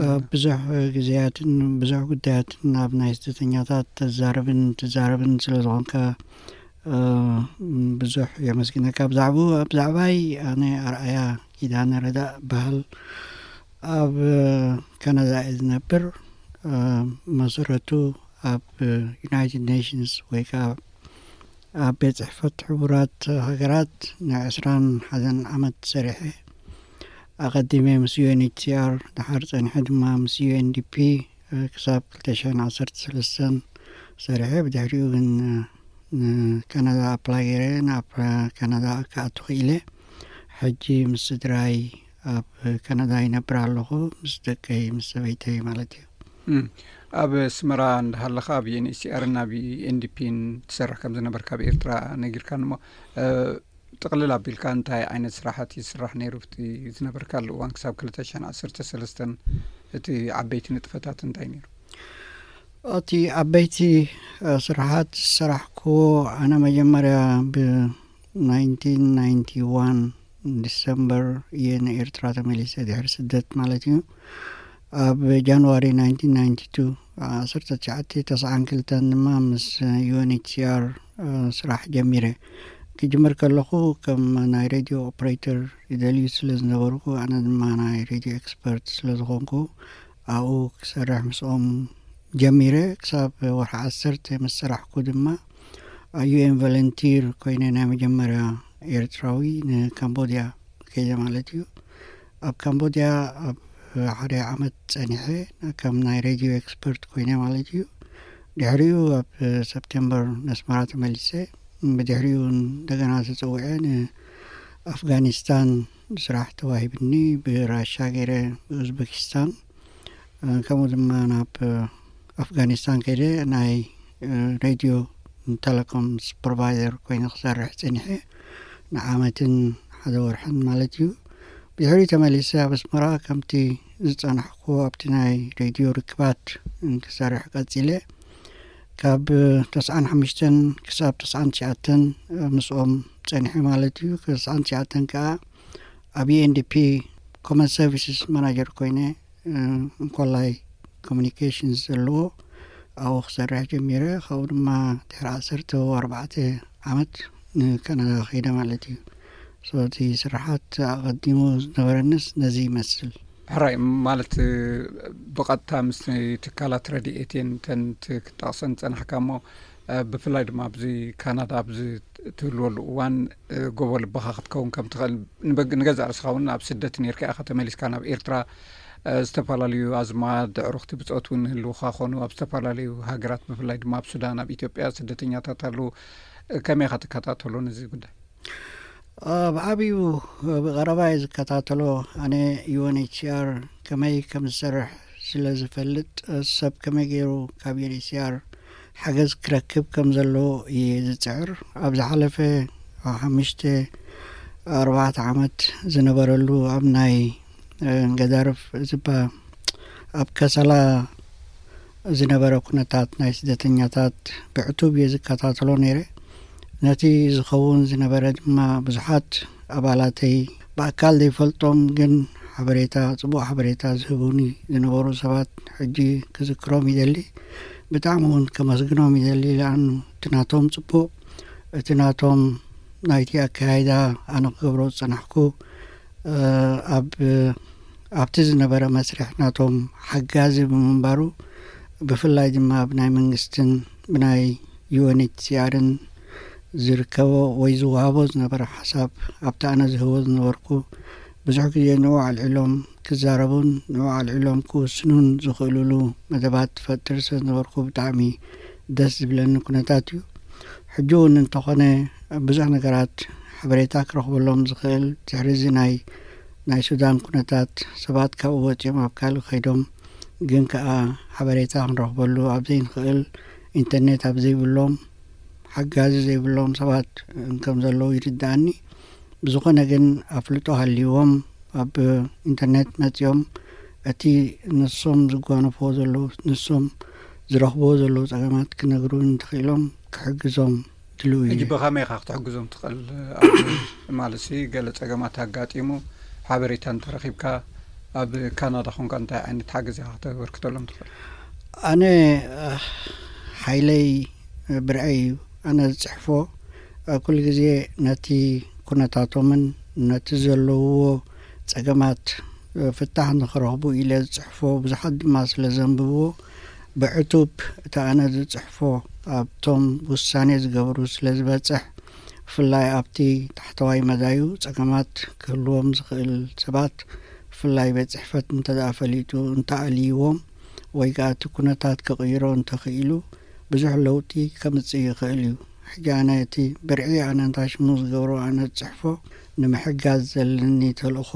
እ፣ ብዙሕ ግዜያትን ብዙሕ ጉዳያትን ኣብ ናይ ስደተኛታት ተዛርብን ትዛረብን ስለ ዝኾንካ፣ እ፣ ብዙሕ የመስግነካ። ብዛዕባኡ፣ ብዛዕባይ ኣነ ኣርኣያ ኪዳነ ረዳእ በሃል፣ ኣብ፣ እ፣ ካናዳ እየ ዝነብር። እ፣ መሰረቱ ኣብ፣ እ፣ ዩናይትድ ኔሽንስ ወይ ከዓ ኣብ ቤት ጽሕፈት ሕቡራት ሃገራት ንዕስራን ሓደን ዓመት ሰሪሐ። ኣቐዲመ ምስ ዩኤንኤችሲኣር፣ ድሓር ጸኒሐ ድማ ምስ ዩኤንዲፒ፣ እ፣ ክሳብ ክልተ ሽሕን ዓሰርተ ሰለስተን ሰሪሐ። ብድሕሪኡ ግን፣ እ፣ ንካናዳ ኣፕላይ ገይረ፣ ናብ ካናዳ ክኣቱ ክኢለ። ሕጂ ምስ ስድራይ ኣብ ካናዳ ይነብር ኣለኹ፣ ምስ ደቀይ፣ ምስ ሰበይተይ ማለት እዩ። እም፣ ኣብ ኣስመራ እንዳሃለኻ ኣብ ዩኤንኤችሲኣርን ኣብ ኤንዲፒን ትሰርሕ ከም ዝነበርካ ኣብ ኤርትራ ነጊርካኒ እሞ፣ እ፣ ጥቕልል ኣቢልካ እንታይ ዓይነት ስራሓት ይስራሕ ነይሩ ኣብቲ ዝነበርካሉ እዋን ክሳብ ክልተ ሽሕን ዓሰርተ ሰለስተን? እቲ ዓበይቲ ንጥፈታት እንታይ ነይሩ? እቲ ዓበይቲ፣ እ፣ ስራሓት ዝሰራሕክዎ፣ ኣነ መጀመርያ ብ ናይንቲን ናይንቲ ዋን ዲሰምበር እየ ንኤርትራ ተመሊሰ፣ ድሕሪ ስደት ማለት እዩ። ኣብ ጃንዋሪ ናይንቲን ናይንቲ ቱ፣ ዓሰርተ ትሽዓተ ተስዓን ክልተን ድማ ምስ ዩኤንኤችሲኣር፣ እ፣ ስራሕ ጀሚረ። ክጅምር ከለኹ ከም ናይ ሬድዮ ኦፕሬተር ይደልዩ ስለ ዝነበርኩ፣ ኣነ ድማ ናይ ሬድዮ ኤክስፐርት ስለ ዝኾንኩ፣ ኣብኡ ክሰርሕ ምስኦም ጀሚረ። ክሳብ ወርሒ ዓሰርተ ምስ ሰራሕኩ ድማ፣ ኣብ ዩኤን ቮለንቲር ኮይነ፣ ናይ መጀመርያ ኤርትራዊ ንካምቦድያ ከይደ ማለት እዩ። ኣብ ካምቦድያ ኣብ ሓደ ዓመት ጸኒሐ፣ ከም ናይ ሬድዮ ኤክስፐርት ኮይነ ማለት እዩ። ድሕሪኡ ኣብ ሰፕቴምበር ነስመራ ተመሊሰ። ብድሕሪኡ እንደገና ተጸዊዐ፣ ንኣፍጋኒስታን ስራሕ ተዋሂብኒ፣ ብራሻ ገይረ፣ ብኡዝቤኪስታን፣ እ፣ ከምኡ ድማ ናብ፣ እ፣ ኣፍጋኒስታን ከይደ፣ ናይ፣ እ፣ ሬድዮ ቴሌኮም ሱፐርቫይዘር ኮይነ ክሰርሕ ጸኒሐ፣ ንዓመትን ሓደ ወርሕን ማለት እዩ። ብድሕሪኡ ተመሊሰ ኣብ ኣስመራ ከምቲ ዝጸናሕኩዎ ኣብቲ ናይ ሬድዮ ርክባት ክሰርሕ ቀጺለ። ካብ ተስዓን ሓሙሽተን ክሳብ ተስዓን ትሽዓተን ምስኦም ጸኒሐ ማለት እዩ። ተስዓን ትሽዓተን ከኣ ኣብ ዩኤንዲፒ ኮመን ሰርቪስስ ማናጀር ኮይነ፣ እ፣ እንኮላይ ኮሚኒኬሽንስ ዘለዎ ኣብኡ ክሰርሕ ጀሚረ። ካብኡ ድማ ድሕሪ ዓሰርተ ኣርባዕተ ዓመት ንካናዳ ከይደ ማለት እዩ። So፣ እቲ ስራሓት ኣቐዲሙ ዝነበረንስ ነዚ ይመስል። ሕራይ፣ ማለት፣ እ፣ ብቐጥታ ምስ ትካላት ረድኤት እየን እተን ት-፣ ክትጠቕሰን ዝጸናሕካ እሞ፣ እ፣ ብፍላይ ድማ ኣብዚ ካናዳ ኣብዚ ትህልወሉ እዋን፣ እ፣ ጎቦ ልብኻ ክትከውን ከም ትኽእል፣ ንበግ-፣ ንገዛእ ርእስኻ እውን ኣብ ስደት ነይርካ ኢኻ ተመሊስካ ናብ ኤርትራ። እ፣ ዝተፈላለዩ ኣዝማድ፣ ኣዕሩኽቲ ብጾት እውን ይህልውኻ ኾኑ፣ ኣብ ዝተፈላለዩ ሃገራት፣ ብፍላይ ድማ ኣብ ሱዳን፣ ኣብ ኢትዮጵያ ስደተኛታት ኣለዉ። እ፣ ከመይ ኢኻ ትከታተሎ ነዚ ጉዳይ? እ፣ ብዓብዩ ብቐረባ እየ ዝከታተሎ። ኣነ ዩኤንኤችሲኣር ከመይ ከም ዝሰርሕ ስለ ዝፈልጥ፣ ሰብ ከመይ ገይሩ ካብ ዩኤንኤችሲኣር ሓገዝ ክረክብ ከም ዘለዎ እየ ዝጽዕር። ኣብ ዝሓለፈ ሓሙሽተ ኣርባዕተ ዓመት ዝነበረሉ ኣብ ናይ፣ እ፣ ገዳርፍ ዝባ-፣ ኣብ ከሰላ ዝነበረ ኩነታት ናይ ስደተኛታት ብዕቱብ እየ ዝከታተሎ ነይረ። ነቲ ዝኸውን ዝነበረ ድማ ብዙሓት ኣባላተይ ብኣካል ዘይፈልጦም ግን ሓበሬታ፣ ጽቡቕ ሓበሬታ ዝህቡኒ ዝነበሩ ሰባት ሕጂ ክዝክሮም ይደሊ። ብጣዕሚ እውን ከመስግኖም ይደሊ። ለኣኑ እቲ ናቶም ጽቡቕ፣ እቲ ናቶም ናይቲ ኣካያይዳ ኣነ ክገብሮ ዝጸናሕኩ፣ እ፣ ኣብ፣ ኣብቲ ዝነበረ መስርሕ ናቶም ሓጋዚ ብምንባሩ፣ ብፍላይ ድማ ብናይ መንግስትን ብናይ ዩ ኤን ኤች ሲ ኣርን ዝርከቦ ወይ ዝወሃቦ ዝነበረ ሓሳብ፣ ኣብቲ ኣነ ዝህቦ ዝነበርኩ፣ ብዙሕ ግዜ ንዑ ኣልዒሎም ክዛረቡን ንዑ ኣልዒሎም ክውስኑን ዝኽእሉሉ መደባት ትፈጥር ስለ ዝነበርኩ፣ ብጣዕሚ ደስ ዝብለኒ ኩነታት እዩ። ሕጂ እውን እንተኾነ ብዙሕ ነገራት ሓበሬታ ክረኽበሎም ዝኽእል፣ ድሕሪ እዚ ናይ ናይ ሱዳን ኩነታት፣ ሰባት ካብኡ ወፂኦም ኣብ ካልእ ከይዶም፣ ግን ከኣ ሓበሬታ ክንረኽበሉ ኣብ ዘይንኽእል፣ ኢንተርኔት ኣብ ዘይብሎም፣ ሓጋዚ ዘይብሎም ሰባት ከም ዘለዉ ይርድኣኒ። ብዝኾነ ግን፣ ኣፍልጦ ሃልይዎም ኣብ ኢንተርኔት መጺኦም፣ እቲ ንሶም ዝጓነፍዎ ዘለዉ፣ ንሶም ዝረኽብዎ ዘለዉ ጸገማት ክነግሩ እንተኽኢሎም፣ ክሕግዞም ድልው እዩ። ሕጂ ብኸመይ ኢኻ ክትሕግዞም ትኽእል? ኣብ ማለት ሲ ገለ ጸገማት ኣጋጢሙ ሓበሬታ እንተረኺብካ፣ ኣብ ካናዳ ኾንካ እንታይ ዓይነት ሓገዝ ኢኻ ክተበርክተሎም ትኽእል? ኣነ፣ ኣህ፣ ሓይለይ ብርዐይ እዩ። ኣነ ዝጽሕፎ፣ እ፣ ኩሉ ግዜ ነቲ ኩነታቶምን ነቲ ዘለውዎ ጸገማት፣ እ፣ ፍታሕ ንኽረኽቡ ኢለ ዝጽሕፎ፣ ብዙሓት ድማ ስለ ዘንብብዎ፣ ብዕቱብ እቲ ኣነ ዝጽሕፎ ኣብቶም ውሳኔ ዝገብሩ ስለ ዝበጽሕ፣ ብፍላይ ኣብቲ ታሕተዋይ መዳዩ ጸገማት ክህልዎም ዝኽእል ሰባት፣ ብፍላይ ቤት ጽሕፈት እንተ ደኣ ፈሊጡ፣ እንተ ኣልይዎም፣ ወይ ከኣ እቲ ኩነታት ክቕይሮ እንተኽኢሉ፣ ብዙሕ ለውጢ ከምጽእ ይኽእል እዩ። ሕጂ ኣነ እቲ ብርዒ ኣነ እንታይ ሽሙ ዝገብሮ ኣነ ዝጽሕፎ፣ ንምሕጋዝ ዘለኒ ተልእኾ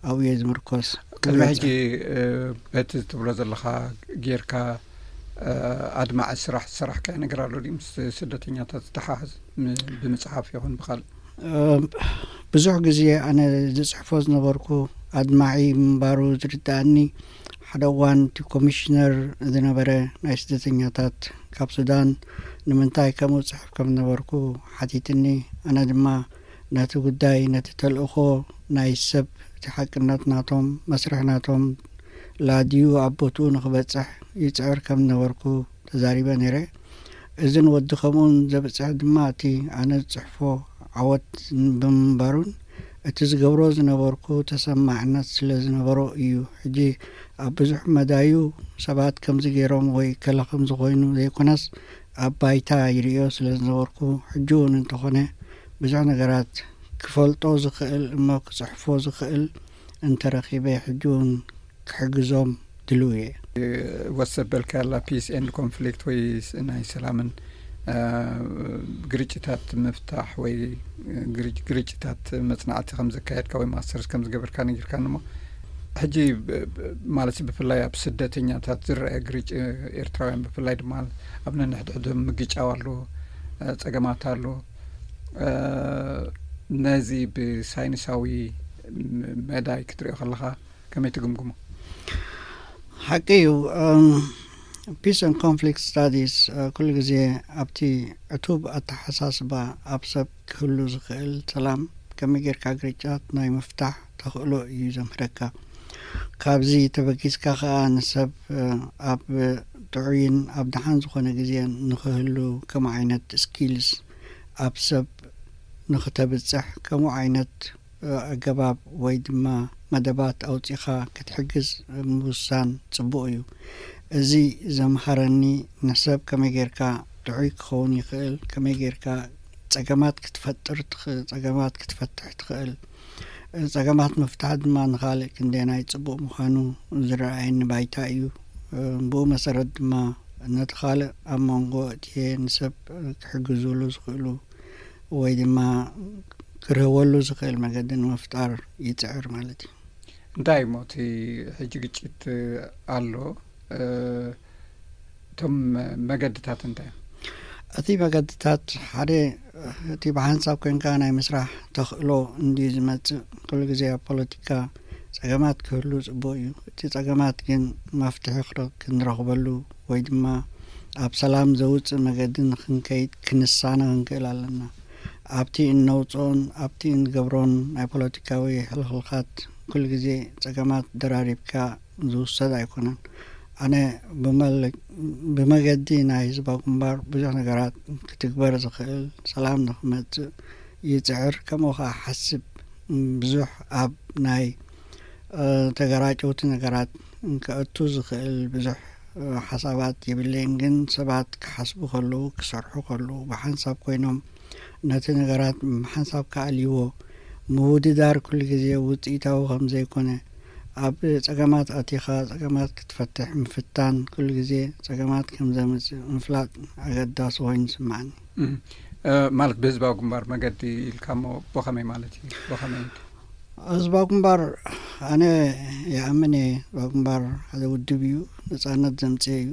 ኣብኡ እየ ዝምርኮስ። ቅድሚ ሕጂ፣ እ፣ በቲ ትብሎ ዘለኻ ጌርካ፣ እ፣ ኣድማዒ ስራሕ ዝሰራሕካዮ ነገር ኣሎ ድዩ? ምስ ስደተኛታት ዝተሓሓዝ ም-፣ ብምጽሓፍ ይኹን ብኻልእ? እ፣ ብዙሕ ግዜ ኣነ ዝጽሕፎ ዝነበርኩ ኣድማዒ ምንባሩ ዝርድኣኒ፣ ሓደ እዋን እቲ ኮሚሽነር ዝነበረ ናይ ስደተኛታት ካብ ሱዳን ንምንታይ ከምኡ ጽሕፍ ከም ዝነበርኩ ሓቲትኒ። ኣነ ድማ ነቲ ጉዳይ፣ ነቲ ተልእኾ ናይ ሰብ፣ እቲ ሓቅነት ናቶም፣ መስርሕ ናቶም ላድዩ ኣብ ቦትኡ ንኽበጽሕ ይጽዕር ከም ዝነበርኩ ተዛሪበ ነይረ። እዝን ወዲ ከምኡን ዘብጽሕ ድማ እቲ ኣነ ዝጽሕፎ ዓወት ብምንባሩን እቲ ዝገብሮ ዝነበርኩ ተሰማዕነት ስለ ዝነበሮ እዩ። ሕጂ ኣብ ብዙሕ መዳዩ ሰባት ከምዚ ገይሮም ወይ ከለ ከምዚ ኮይኑ ዘይኮነስ፣ ኣብ ባይታ ይርእዮ ስለ ዝነበርኩ፣ ሕጂ እውን እንተኾነ ብዙሕ ነገራት ክፈልጦ ዝኽእል እሞ ክጽሕፎ ዝኽእል እንተረኺበ፣ ሕጂ እውን ክሕግዞም ድልው እየ። ወሰበልካ ያላ ፒስ ኤንድ ኮንፍሊክት ወይ ስ-፣ ናይ ሰላምን፣ እ፣ ግርጭታት ምፍታሕ ወይ ግርጭ-፣ ግርጭታት መጽናዕቲ ከም ዘካየድካ ወይ ማስተርስ ከም ዝገበርካ ነጊርካኒ እሞ፣ ሕጂ ብ-፣ ብ-፣ ማለት ብፍላይ ኣብ ስደተኛታት ዝረአ ግርጭ-፣ ኤርትራውያን ብፍላይ ድማ ኣብ ነንሕድሕዶም ምግጫው ኣሎ፣ እ፣ ጸገማት ኣሎ። እ፣ ነዚ ብሳይንሳዊ ም-፣ መዳይ ክትሪኦ ከለኻ ከመይ ትግምግሞ? ሓቂ እዩ። እም፣ ፒስ ኤንድ ኮንፍሊክት ስታዲስ፣ እ፣ ኩሉ ግዜ ኣብቲ ዕቱብ ኣተሓሳስባ ኣብ ሰብ ክህሉ ዝኽእል ሰላም ከመይ ጌርካ ግርጫት ናይ ምፍታሕ ተኽእሎ እዩ ዘምህረካ። ካብዚ ተበጊስካ ከኣ ንሰብ፣ እ፣ ኣብ ጥዑይን ኣብ ደሓን ዝኾነ ግዜ ንኽህሉ ከምኡ ዓይነት ስኪልስ ኣብ ሰብ ንኽተብጽሕ ከምኡ ዓይነት ኣገባብ ወይ ድማ መደባት ኣውጺኻ ክትሕግዝ ምውሳን ጽቡቕ እዩ። እዚ ዘምሃረኒ ንሰብ ከመይ ጌርካ ጥዑይ ክኸውን ይኽእል፣ ከመይ ጌርካ ጸገማት ክትፈጥር ትኽ-፣ ጸገማት ክትፈትሕ ትኽእል። ጸገማት ምፍታሕ ድማ ንኻልእ ክንደየናይ ጽቡቕ ምዃኑ ዝረኣየኒ ባይታ እዩ። ብኡ መሰረት ድማ ነቲ ካልእ ኣብ መንጎ እቲኤ ንሰብ ክሕግዙሉ ዝኽእሉ ወይ ድማ ክርህወሉ ዝኽእል መገዲ ንምፍጣር ይጽዕር ማለት እዩ። እንታይ እሞ እቲ ሕጂ ግጭት ኣሎ? እ፣ እቶም መገድታት እንታይ እዮም? እቲ መገድታት ሓደ፣ እቲ ብሓንሳብ ኮንካ ናይ ምስራሕ ተኽእሎ እንድዩ ዝመጽእ። ኩሉ ግዜ ኣብ ፖለቲካ ጸገማት ክህሉ ጽቡቕ እዩ። እቲ ጸገማት ግን መፍትሒ ክረ-፣ ክንረኽበሉ ወይ ድማ ኣብ ሰላም ዘውጽእ መገዲ ንኽንከይድ ክንሳነ ክንክእል ኣለና። ኣብቲ እነውጽኦን ኣብቲ እንገብሮን ናይ ፖለቲካዊ ሕልኽልኻት ኩሉ ግዜ ጸገማት ደራሪብካ ዝውሰድ ኣይኮነን። ኣነ ብመለ-፣ ብመገዲ ናይ ህዝባዊ ግንባር ብዙሕ ነገራት ክትግበር ዝኽእል፣ ሰላም ንኽመጽእ ይጽዕር፣ ከምኡ ኸኣ ሓስብ። ብዙሕ ኣብ ናይ፣ እ፣ ተገራጨውቲ ነገራት ከእቱ ዝኽእል ብዙሕ ሓሳባት የብለይን። ግን ሰባት ክሓስቡ ከለዉ፣ ክሰርሑ ከለዉ፣ ብሓንሳብ ኮይኖም ነቲ ነገራት ሓንሳብ ክኣልይዎ፣ ምውድዳር ኩሉ ግዜ ውፅኢታዊ ከም ዘይኮነ፣ ኣብ ፀገማት ኣቲኻ ፀገማት ክትፈትሕ ምፍታን ኩሉ ግዜ ፀገማት ከም ዘምፅእ ምፍላጥ ኣገዳሲ ኮይኑ ይስምዓኒ። ማለት ብህዝባዊ ግንባር መገዲ ኢልካ እሞ ብኸመይ ማለት እዩ? ብኸመይ? ህዝባዊ ግንባር ኣነ ይኣምን እየ። ህዝባዊ ግንባር ሓደ ውድብ እዩ፣ ነፃነት ዘምፅእ እዩ።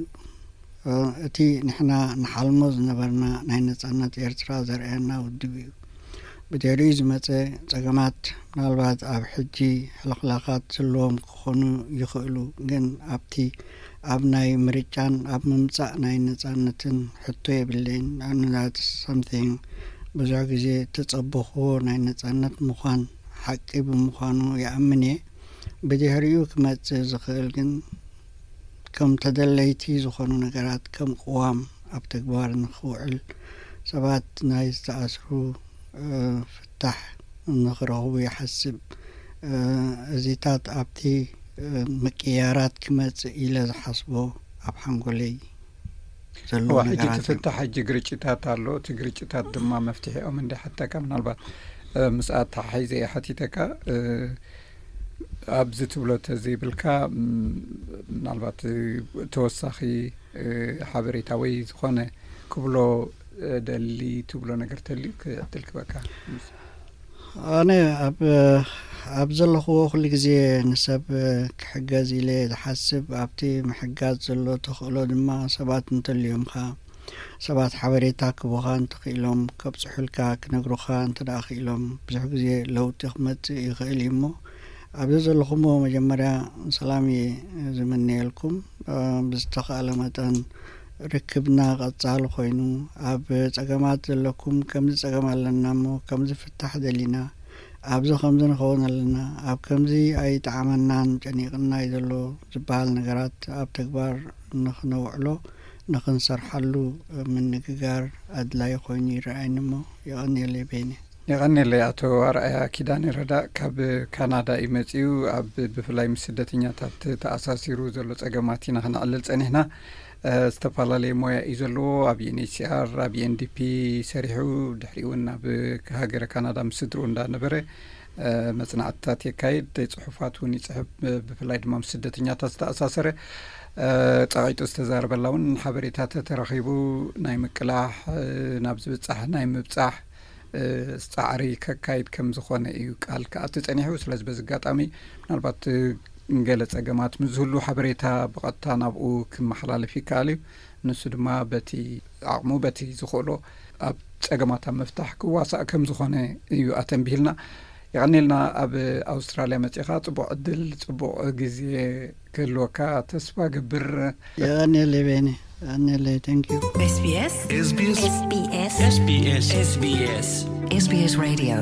እቲ ንሕና ንሓልሞ ዝነበርና ናይ ነፃነት ኤርትራ ዘርእየና ውድብ እዩ። ብድሕሪኡ ዝመፀ ፀገማት ምናልባት ኣብ ሕጂ ሕልኽላኻት ዘለዎም ክኾኑ ይኽእሉ፣ ግን ኣብቲ ኣብ ናይ ምርጫን ኣብ ምምፃእ ናይ ነፃነትን ሕቶ የብለይን። ንኣብነት ሳምቲንግ ብዙሕ ግዜ ተፀበኽዎ ናይ ነፃነት ምዃን ሓቂ ብምዃኑ ይኣምን እየ። ብድሕሪኡ ክመፅእ ዝኽእል ግን ከም ተደለይቲ ዝኾኑ ነገራት ከም ቅዋም ኣብ ተግባር ንኽውዕል፣ ሰባት ናይ ዝተኣስሩ ፍታሕ ንኽረኽቡ ይሓስብ። እዚታት ኣብቲ ምቅያራት ክመፅእ ኢለ ዝሓስቦ ኣብ ሓንጎለይ ዘሎ እዋ ሕጂ ነገራት እዩ። ትፍታሕ ሕጂ ግርጭታት ኣሎ። እቲ ግርጭታት ድማ መፍትሒኦም እንደ ሓተካ ምናልባት እ፣ ምስ ኣተሓሒዘ እየ ሓቲተካ እ፣ ኣብዚ ትብሎ ተዘይብልካ ም፣ ምናልባት እ፣ ተወሳኺ እ፣ ሓበሬታ ወይ ዝኾነ ክብሎ እ፣ ደሊ ትብሎ ነገር ተልዩ ክ- ዕድል ክበካ ኣነ ኣብ ኣብ ዘለኽዎ ኩሉ ግዜ ንሰብ ክሕገዝ ኢለ ዝሓስብ፣ ኣብቲ ምሕጋዝ ዘሎ ተኽእሎ ድማ ሰባት እንተልዮም ኸዓ ሰባት ሓበሬታ ክቡኻ እንተኽኢሎም፣ ከብፅሑልካ ክነግሩኻ እንተ ደኣ ክኢሎም ብዙሕ ግዜ ለውጢ ክመፅእ ይኽእል እዩ። እሞ ኣብዚ ዘለኹሞ መጀመርያ ሰላም እየ ዝምነየልኩም። ብዝተኽኣለ መጠን ርክብና ቀጻሊ ኮይኑ፣ ኣብ ጸገማት ዘለኩም ከምዚ ጸገም ኣለና እሞ ከምዚ ፍታሕ ደሊና፣ ኣብዚ ከምዚ ንኸውን ኣለና፣ ኣብ ከምዚ ኣይጠዓመናን ጨኒቕና እዩ ዘሎ ዝበሃል ነገራት ኣብ ተግባር ንኽነውዕሎ ንኽንሰርሓሉ ምንግጋር ኣድላይ ኮይኑ ይረኣየኒ እሞ የቐንየለይ ቤኒ። የቐንየለይ ኣቶ ኣርኣያ ኪዳነ ረዳእ ካብ ካናዳ እዩ መጺኡ። ኣብ ብፍላይ ምስ ስደተኛታት ተኣሳሲሩ ዘሎ ጸገማት ኢና ክነዕልል ጸኒሕና። እ፣ ዝተፈላለየ ሞያ እዩ ዘለዎ። ኣብ ዩኤንኤችሲኣር፣ ኣብ ዩኤንዲፒ ሰሪሑ፣ ድሕሪኡ እውን ኣብ ሃገረ ካናዳ ምስ ስድርኡ እንዳነበረ እ፣ መጽናዕትታት የካይድ፣ ጽሑፋት እውን ይጽሕፍ። እ፣ ብፍላይ ድማ ምስ ስደተኛታት ዝተኣሳሰረ እ፣ ጸቒጡ ዝተዛረበላ እውን ሓበሬታ ተተረኺቡ ናይ ምቅላሕ እ፣ ናብ ዝብጻሕ ናይ ምብጻሕ እ፣ ጻዕሪ ከካይድ ከም ዝኾነ እዩ ቃል ክኣቲ ጸኒሑ። ስለዚ በዚ ኣጋጣሚ ምናልባት እ፣ ገለ ጸገማት ምስ ዝህሉ ሓበሬታ ብቐጥታ ናብኡ ክመሓላለፍ ይከኣል እዩ። ንሱ ድማ በቲ ዓቕሙ በቲ ዝኽእሎ ኣብ ጸገማት ኣብ ምፍታሕ ክዋሳእ ከም ዝኾነ እዩ ኣተንቢህልና። የቐኔልና። ኣብ ኣውስትራልያ መጺኻ ጽቡቕ ዕድል ጽቡቕ ግዜ ክህልወካ ተስፋ ገብር። የቐኔለይ ቤኒ፣ የቐኔለይ። Thank you። SBS SBS SBS SBS SBS Radio።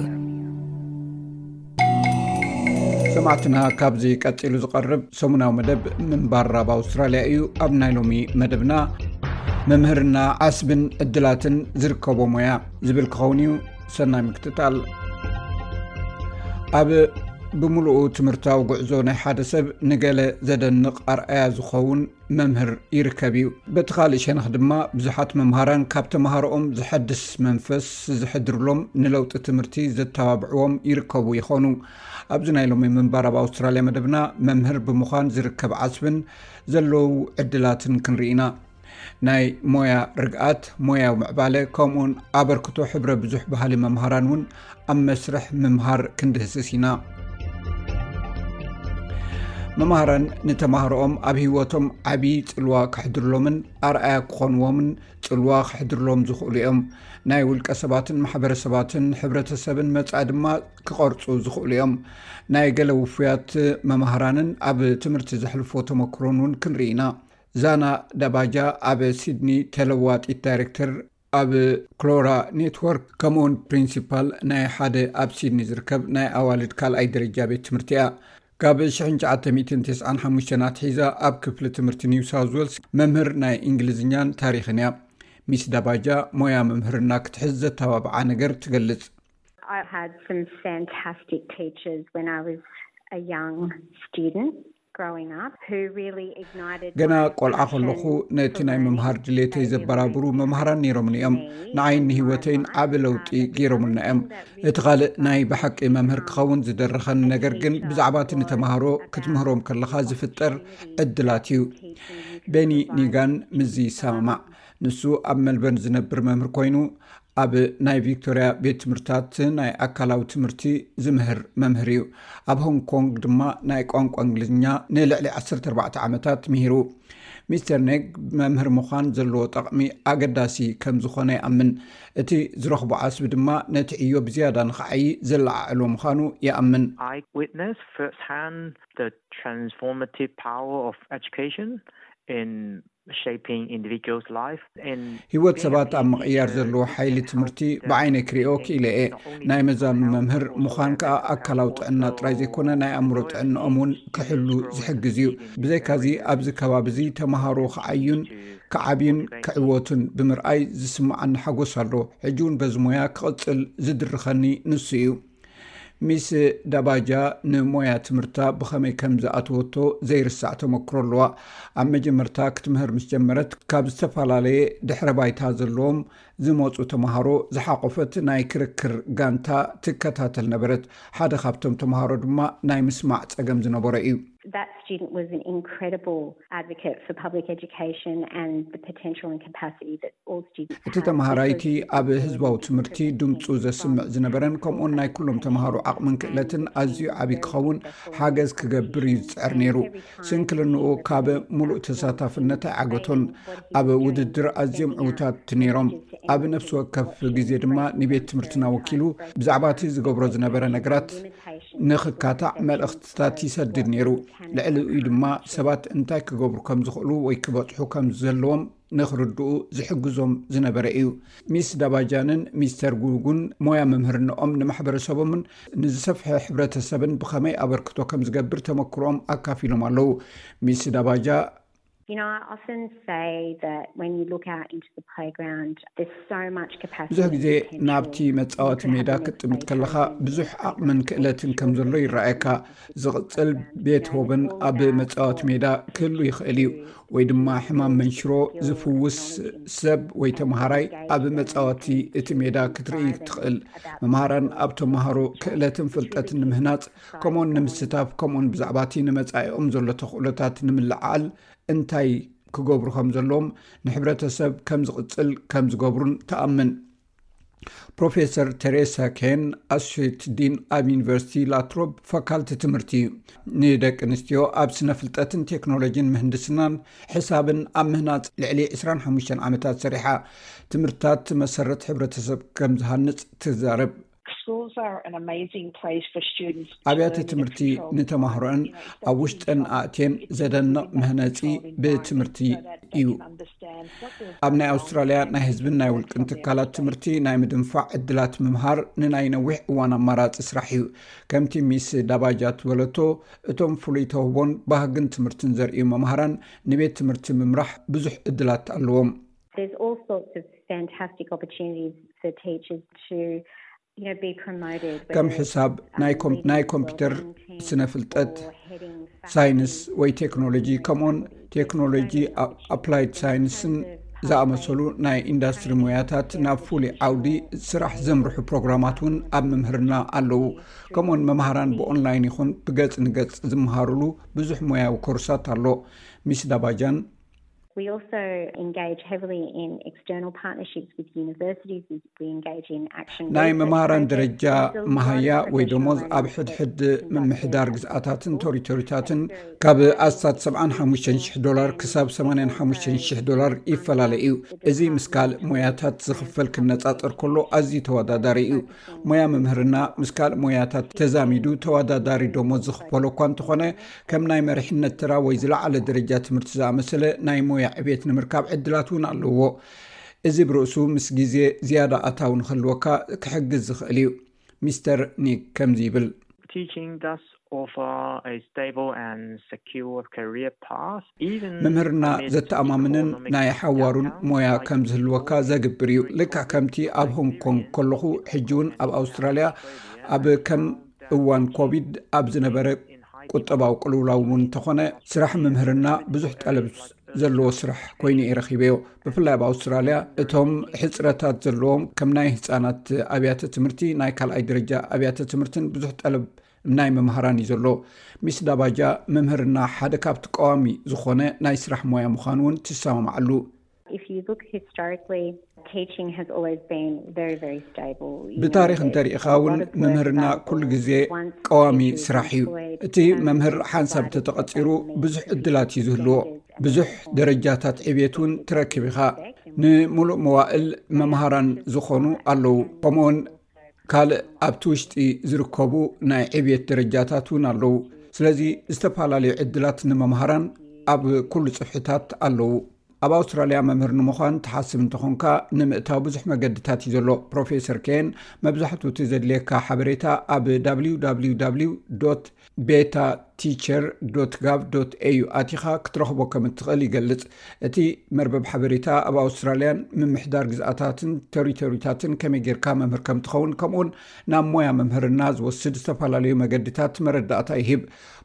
ሰማዕትና፣ ካብዚ ቀጺሉ ዝቐርብ ሰሙናዊ መደብ ምንባር ኣብ ኣውስትራልያ እዩ። ኣብ ናይ ሎሚ መደብና መምህርና ዓስብን ዕድላትን ዝርከቦ ሞያ ዝብል ክኸውን እዩ። ሰናይ ምክትታል። ኣብ ብምሉኡ ትምህርታዊ ጉዕዞ ናይ ሓደ ሰብ ንገለ ዘደንቕ ኣርኣያ ዝኸውን መምህር ይርከብ እዩ። በቲ ካልእ ሸነኽ ድማ ብዙሓት መምሃራን ካብ ተምሃሮኦም ዘሐድስ መንፈስ ዝሕድርሎም፣ ንለውጢ ትምህርቲ ዘተባብዕዎም ይርከቡ ይኾኑ። ኣብዚ ናይ ሎሚ ምንባር ኣብ ኣውስትራልያ መደብና መምህር ብምዃን ዝርከብ ዓስብን ዘለዉ ዕድላትን ክንርኢ ኢና። ናይ ሞያ ርግኣት፣ ሞያዊ ምዕባለ፣ ከምኡውን ኣበርክቶ ሕብረ ብዙሕ ባህሊ መምሃራን እውን ኣብ መስርሕ ምምሃር ክንድህስስ ኢና። መምሃራን ንተማሃሮኦም ኣብ ህይወቶም ዓቢ ጽልዋ ከሕድርሎምን ኣርኣያ ክኾንዎምን ጽልዋ ከሕድርሎም ዝኽእሉ እዮም። ናይ ውልቀ ሰባትን ማሕበረሰባትን ሕብረተሰብን መጻኢ ድማ ክቐርጹ ዝኽእሉ እዮም። ናይ ገለ ውፉያት መምሃራንን ኣብ ትምህርቲ ዘሕልፎ ተመክሮን እውን ክንርኢ ኢና። ዛና ዳባጃ ኣብ ሲድኒ ተለዋጢት ዳይሬክተር ኣብ ክሎራ ኔትወርክ፣ ከምኡውን ፕሪንሲፓል ናይ ሓደ ኣብ ሲድኒ ዝርከብ ናይ ኣዋልድ ካልኣይ ደረጃ ቤት ትምህርቲ እያ። ካብ ሽሕን ትሽዓተ ሚእትን ተስዓን ሓሙሽተን ኣትሒዛ ኣብ ክፍሊ ትምህርቲ ኒው ሳውዝ ዌልስ መምህር ናይ እንግሊዝኛን ታሪኽን እያ። ሚስ ዳባጃ ሞያ መምህርና ክትሕዝ ዘተባብዓ ነገር ትገልጽ። I had some fantastic teachers when I was a young student. growing up who really ignited ገና ቆልዓ ከለኹ ነቲ ናይ ምምሃር ድሌተይ ዘበራብሩ መምሃራን ነይሮምኒ እዮም። ንዓይን ንህይወተይን ዓቢ ለውጢ ገይሮምልና እዮም። እቲ ካልእ ናይ ብሓቂ መምህር ክኸውን ዝደረኸኒ ነገር ግን ብዛዕባ እቲ ንተምሃሮ ክትምህሮም ከለኻ ዝፍጠር ዕድላት እዩ። ቤኒ ኒጋን ምስዚ ይሰማማዕ። ንሱ ኣብ መልበርን ዝነብር መምህር ኮይኑ ኣብ ናይ ቪክቶርያ ቤት ትምህርታት ናይ ኣካላዊ ትምህርቲ ዝምህር መምህር እዩ። ኣብ ሆንግ ኮንግ ድማ ናይ ቋንቋ እንግሊዝኛ ንልዕሊ ዓሰርተ ኣርባዕተ ዓመታት ምሂሩ። ሚስተር ኔግ መምህር ምዃን ዘለዎ ጠቕሚ ኣገዳሲ ከም ዝኾነ ይኣምን። እቲ ዝረኽቦ ዓስቢ ድማ ነቲ ዕዮ ብዝያዳ ንኽዓዪ ዘለዓዕሎ ምዃኑ ይኣምን። I witnessed firsthand the transformative power of education in shaping individuals' life. ህይወት ሰባት ኣብ ምቕያር ዘለዎ ሓይሊ ትምህርቲ ብዓይነ ክሪኦ ክኢለ እየ። ናይ መዛኑ መምህር ምዃን ከኣ ኣካላዊ ጥዕና ጥራይ ዘይኮነ ናይ ኣእምሮ ጥዕናኦም እውን ክሕሉ ዝሕግዝ እዩ። ብዘይካዚ ኣብዚ ከባቢ እዚ ተምሃሮ ክዓዩን ክዓብዩን ክዕወቱን ብምርኣይ ዝስምዓኒ ሓጎስ ኣሎ። ሕጂ እውን በዚ ሞያ ክቕጽል ዝድርኸኒ ንሱ እዩ። ሚስ ዳባጃ ንሞያ ትምህርታ ብኸመይ ከም ዝኣተወቶ ዘይርሳዕ ተመክሮ ኣለዋ። ኣብ መጀመርታ ክትምህር ምስ ጀመረት ካብ ዝተፈላለየ ድሕረ ባይታ ዘለዎም ዝመፁ ተምሃሮ ዝሓቆፈት ናይ ክርክር ጋንታ ትከታተል ነበረት። ሓደ ካብቶም ተምሃሮ ድማ ናይ ምስማዕ ፀገም ዝነበሮ እዩ። That student was an incredible advocate for public education and the potential and capacity that all students እቲ ተምሃራይቲ ኣብ ህዝባዊ ትምህርቲ ድምፁ ዘስምዕ ዝነበረን ከምኡን ናይ ኩሎም ተምሃሮ ዓቕምን ክእለትን ኣዝዩ ዓብዪ ክኸውን ሓገዝ ክገብር እዩ ዝፅዕር ነይሩ። ስንክልንኡ ካብ ሙሉእ ተሳታፍነት ኣይዓገቶን። ኣብ ውድድር ኣዝዮም ዕውታት ነይሮም። ኣብ ነፍሲ ወከፍ ግዜ ድማ ንቤት ትምህርትና ወኪሉ ብዛዕባ እቲ ዝገብሮ ዝነበረ ነገራት ንኽካታዕ መልእኽትታት ይሰድድ ነይሩ። ልዕሊኡ ድማ ሰባት እንታይ ክገብሩ ከም ዝኽእሉ ወይ ክበጽሑ ከም ዘለዎም ንኽርድኡ ዝሕግዞም ዝነበረ እዩ። ሚስ ዳባጃንን ሚስተር ጉጉን ሞያ መምህርነኦም ንማሕበረሰቦምን ንዝሰፍሐ ሕብረተሰብን ብኸመይ ኣበርክቶ ከም ዝገብር ተመክሮኦም ኣካፊሎም ኣለዉ። ሚስ ዳባጃ You know, I often say that when you look out into the playground, there's so much capacity. ብዙሕ ግዜ ናብቲ መጻወቲ ሜዳ ክትጥምት ከለኻ ብዙሕ ዓቕምን ክእለትን ከም ዘሎ ይረኣየካ። ዝቕጽል ቤትሆቨን ኣብ መጻወቲ ሜዳ ክህሉ ይኽእል እዩ፣ ወይ ድማ ሕማም መንሽሮ ዝፍውስ ሰብ ወይ ተምሃራይ ኣብ መጻወቲ እቲ ሜዳ ክትርኢ ትኽእል። መምሃራን ኣብ ተምሃሮ ክእለትን ፍልጠትን ንምህናጽ ከምኡውን ንምስታፍ ከምኡውን ብዛዕባ እቲ ንመጻኢኦም ዘሎ ተኽእሎታት ንምልዓል እንታይ ክገብሩ ከም ዘለዎም ንሕብረተሰብ ከም ዝቕጽል ከም ዝገብሩን ትኣምን። ፕሮፌሰር ቴሬሳ ኬን ኣሶሼት ዲን ኣብ ዩኒቨርሲቲ ላትሮብ ፋካልቲ ትምህርቲ እዩ። ንደቂ ኣንስትዮ ኣብ ስነ ፍልጠትን ቴክኖሎጂን ምህንድስናን ሕሳብን ኣብ ምህናጽ ልዕሊ ዕስራን ሓሙሽተን ዓመታት ሰሪሓ። ትምህርታት መሰረት ሕብረተሰብ ከም ዝሃንጽ ትዛረብ። Schools are an amazing place for students. ኣብያተ ትምህርቲ ንተማህሮን ኣብ ውሽጠን ኣእትየን ዘደንቕ መህነጺ ብትምህርቲ እዩ። ኣብ ናይ ኣውስትራልያ ናይ ህዝብን ናይ ውልቅን ትካላት ትምህርቲ ናይ ምድንፋዕ ዕድላት ምምሃር ንናይ ነዊሕ እዋን ኣማራጺ ስራሕ እዩ። ከምቲ ሚስ ዳባጃ ትበለቶ፣ እቶም ፍሉይ ተውህቦን ባህግን ትምህርትን ዘርእዩ መምሃራን ንቤት ትምህርቲ ምምራሕ ብዙሕ ዕድላት ኣለዎም። There's all sorts of fantastic opportunities for teachers to, you know, be promoted. ከም ሕሳብ፣ ናይ ኮምፒውተር፣ ስነ ፍልጠት፣ ሳይንስ ወይ ቴክኖሎጂ፣ ከምኡን ቴክኖሎጂ ኣፕላይድ ሳይንስን ዝኣመሰሉ ናይ ኢንዳስትሪ ሞያታት ናብ ፍሉይ ዓውዲ ስራሕ ዘምርሑ ፕሮግራማት እውን ኣብ ምምህርና ኣለዉ። ከምኡን መምሃራን ብኦንላይን ይኹን ብገጽ ንገጽ ዝመሃሩሉ ብዙሕ ሞያዊ ኮርሳት ኣሎ። ሚስ ዳባጃን We also engage heavily in external partnerships with universities. We engage in action. ናይ መምሃራን ደረጃ መሃያ ወይ ደሞዝ ኣብ ሕድሕድ ምምሕዳር ግዝኣታትን ቶሪቶሪታትን ካብ ኣስታት ሰብዓን ሓሙሽተን ሽሕ ዶላር ክሳብ ሰማንያን ሓሙሽተን ሽሕ ዶላር ይፈላለ እዩ። እዚ ምስ ካልእ ሞያታት ዝኽፈል ክነጻጸር ከሎ ኣዝዩ ተወዳዳሪ እዩ። ሞያ ምምህርና ምስ ካልእ ሞያታት ተዛሚዱ ተወዳዳሪ ደሞዝ ዝኽፈሎ እኳ እንተኾነ፣ ከም ናይ መሪሕነት ተራ ወይ ዝለዓለ ደረጃ ትምህርቲ ዝኣመሰለ ናይ ሞያ ዕቤት ንምርካብ ዕድላት እውን ኣለዎ። እዚ ብርእሱ ምስ ግዜ ዝያዳ ኣታዊ ንኽህልወካ ክሕግዝ ዝኽእል እዩ። ሚስተር ኒክ ከምዚ ይብል። Teaching does offer a stable and secure career path. Even ምምህርና amid ዘተኣማምንን economic ናይ ሓዋሩን downturn, ሞያ like ከም ዝህልወካ ዘግብር እዩ። ልክዕ ከምቲ ኣብ ሆንግ ኮንግ ከለኹ፣ ሕጂ እውን ኣብ ኣውስትራልያ ኣብ ከም እዋን ኮቪድ ኣብ ዝነበረ ቁጠባዊ ቅልውላው እውን እንተኾነ፣ ስራሕ ምምህርና ብዙሕ ጠለብ ዘለዎ ስራሕ ኮይኑ እየ ረኺበዮ። ብፍላይ ኣብ ኣውስትራልያ እቶም ሕፅረታት ዘለዎም ከም ናይ ህፃናት ኣብያተ ትምህርቲ፣ ናይ ካልኣይ ደረጃ ኣብያተ ትምህርትን ብዙሕ ጠለብ ናይ መምሃራን እዩ ዘሎ። ሚስ ዳባጃ፣ መምህርና ሓደ ካብቲ ቀዋሚ ዝኾነ ናይ ስራሕ ሞያ ምዃኑ እውን ትሰማማዓሉ። If you look historically, teaching has always been very, very stable. ብታሪክ እንተሪኢኻ እውን፣ መምህርና ኩሉ ግዜ ቀዋሚ ስራሕ እዩ። እቲ መምህር ሓንሳብ ተተቐፂሩ ብዙሕ ዕድላት እዩ ዝህልዎ። ብዙሕ ደረጃታት ዕቤት እውን ትረክብ ኢኻ። ንምሉእ መዋእል መምሃራን ዝኾኑ ኣለዉ። ከምኡውን ካልእ ኣብቲ ውሽጢ ዝርከቡ ናይ ዕብየት ደረጃታት እውን ኣለዉ። ስለዚ ዝተፈላለዩ ዕድላት ንመምሃራን ኣብ ኩሉ ጽፍሕታት ኣለዉ። ኣብ ኣውስትራልያ መምህር ንምዃን ትሓስብ እንተኾንካ፣ ንምእታው ብዙሕ መገድታት እዩ ዘሎ። ፕሮፌሰር ኬን፣ መብዛሕትኡ እቲ ዘድልየካ ሓበሬታ ኣብ www beta teacher gov au ኣቲኻ ክትረኽቦ ከም እትኽእል ይገልጽ። እቲ መርበብ ሓበሬታ ኣብ ኣውስትራልያን ምምሕዳር ግዝኣታትን ቴሪቶሪታትን ከመይ ጌርካ መምህር ከም ትኸውን፣ ከምኡውን ናብ ሞያ መምህርና ዝወስድ ዝተፈላለዩ መገድታት መረዳእታ ይህብ።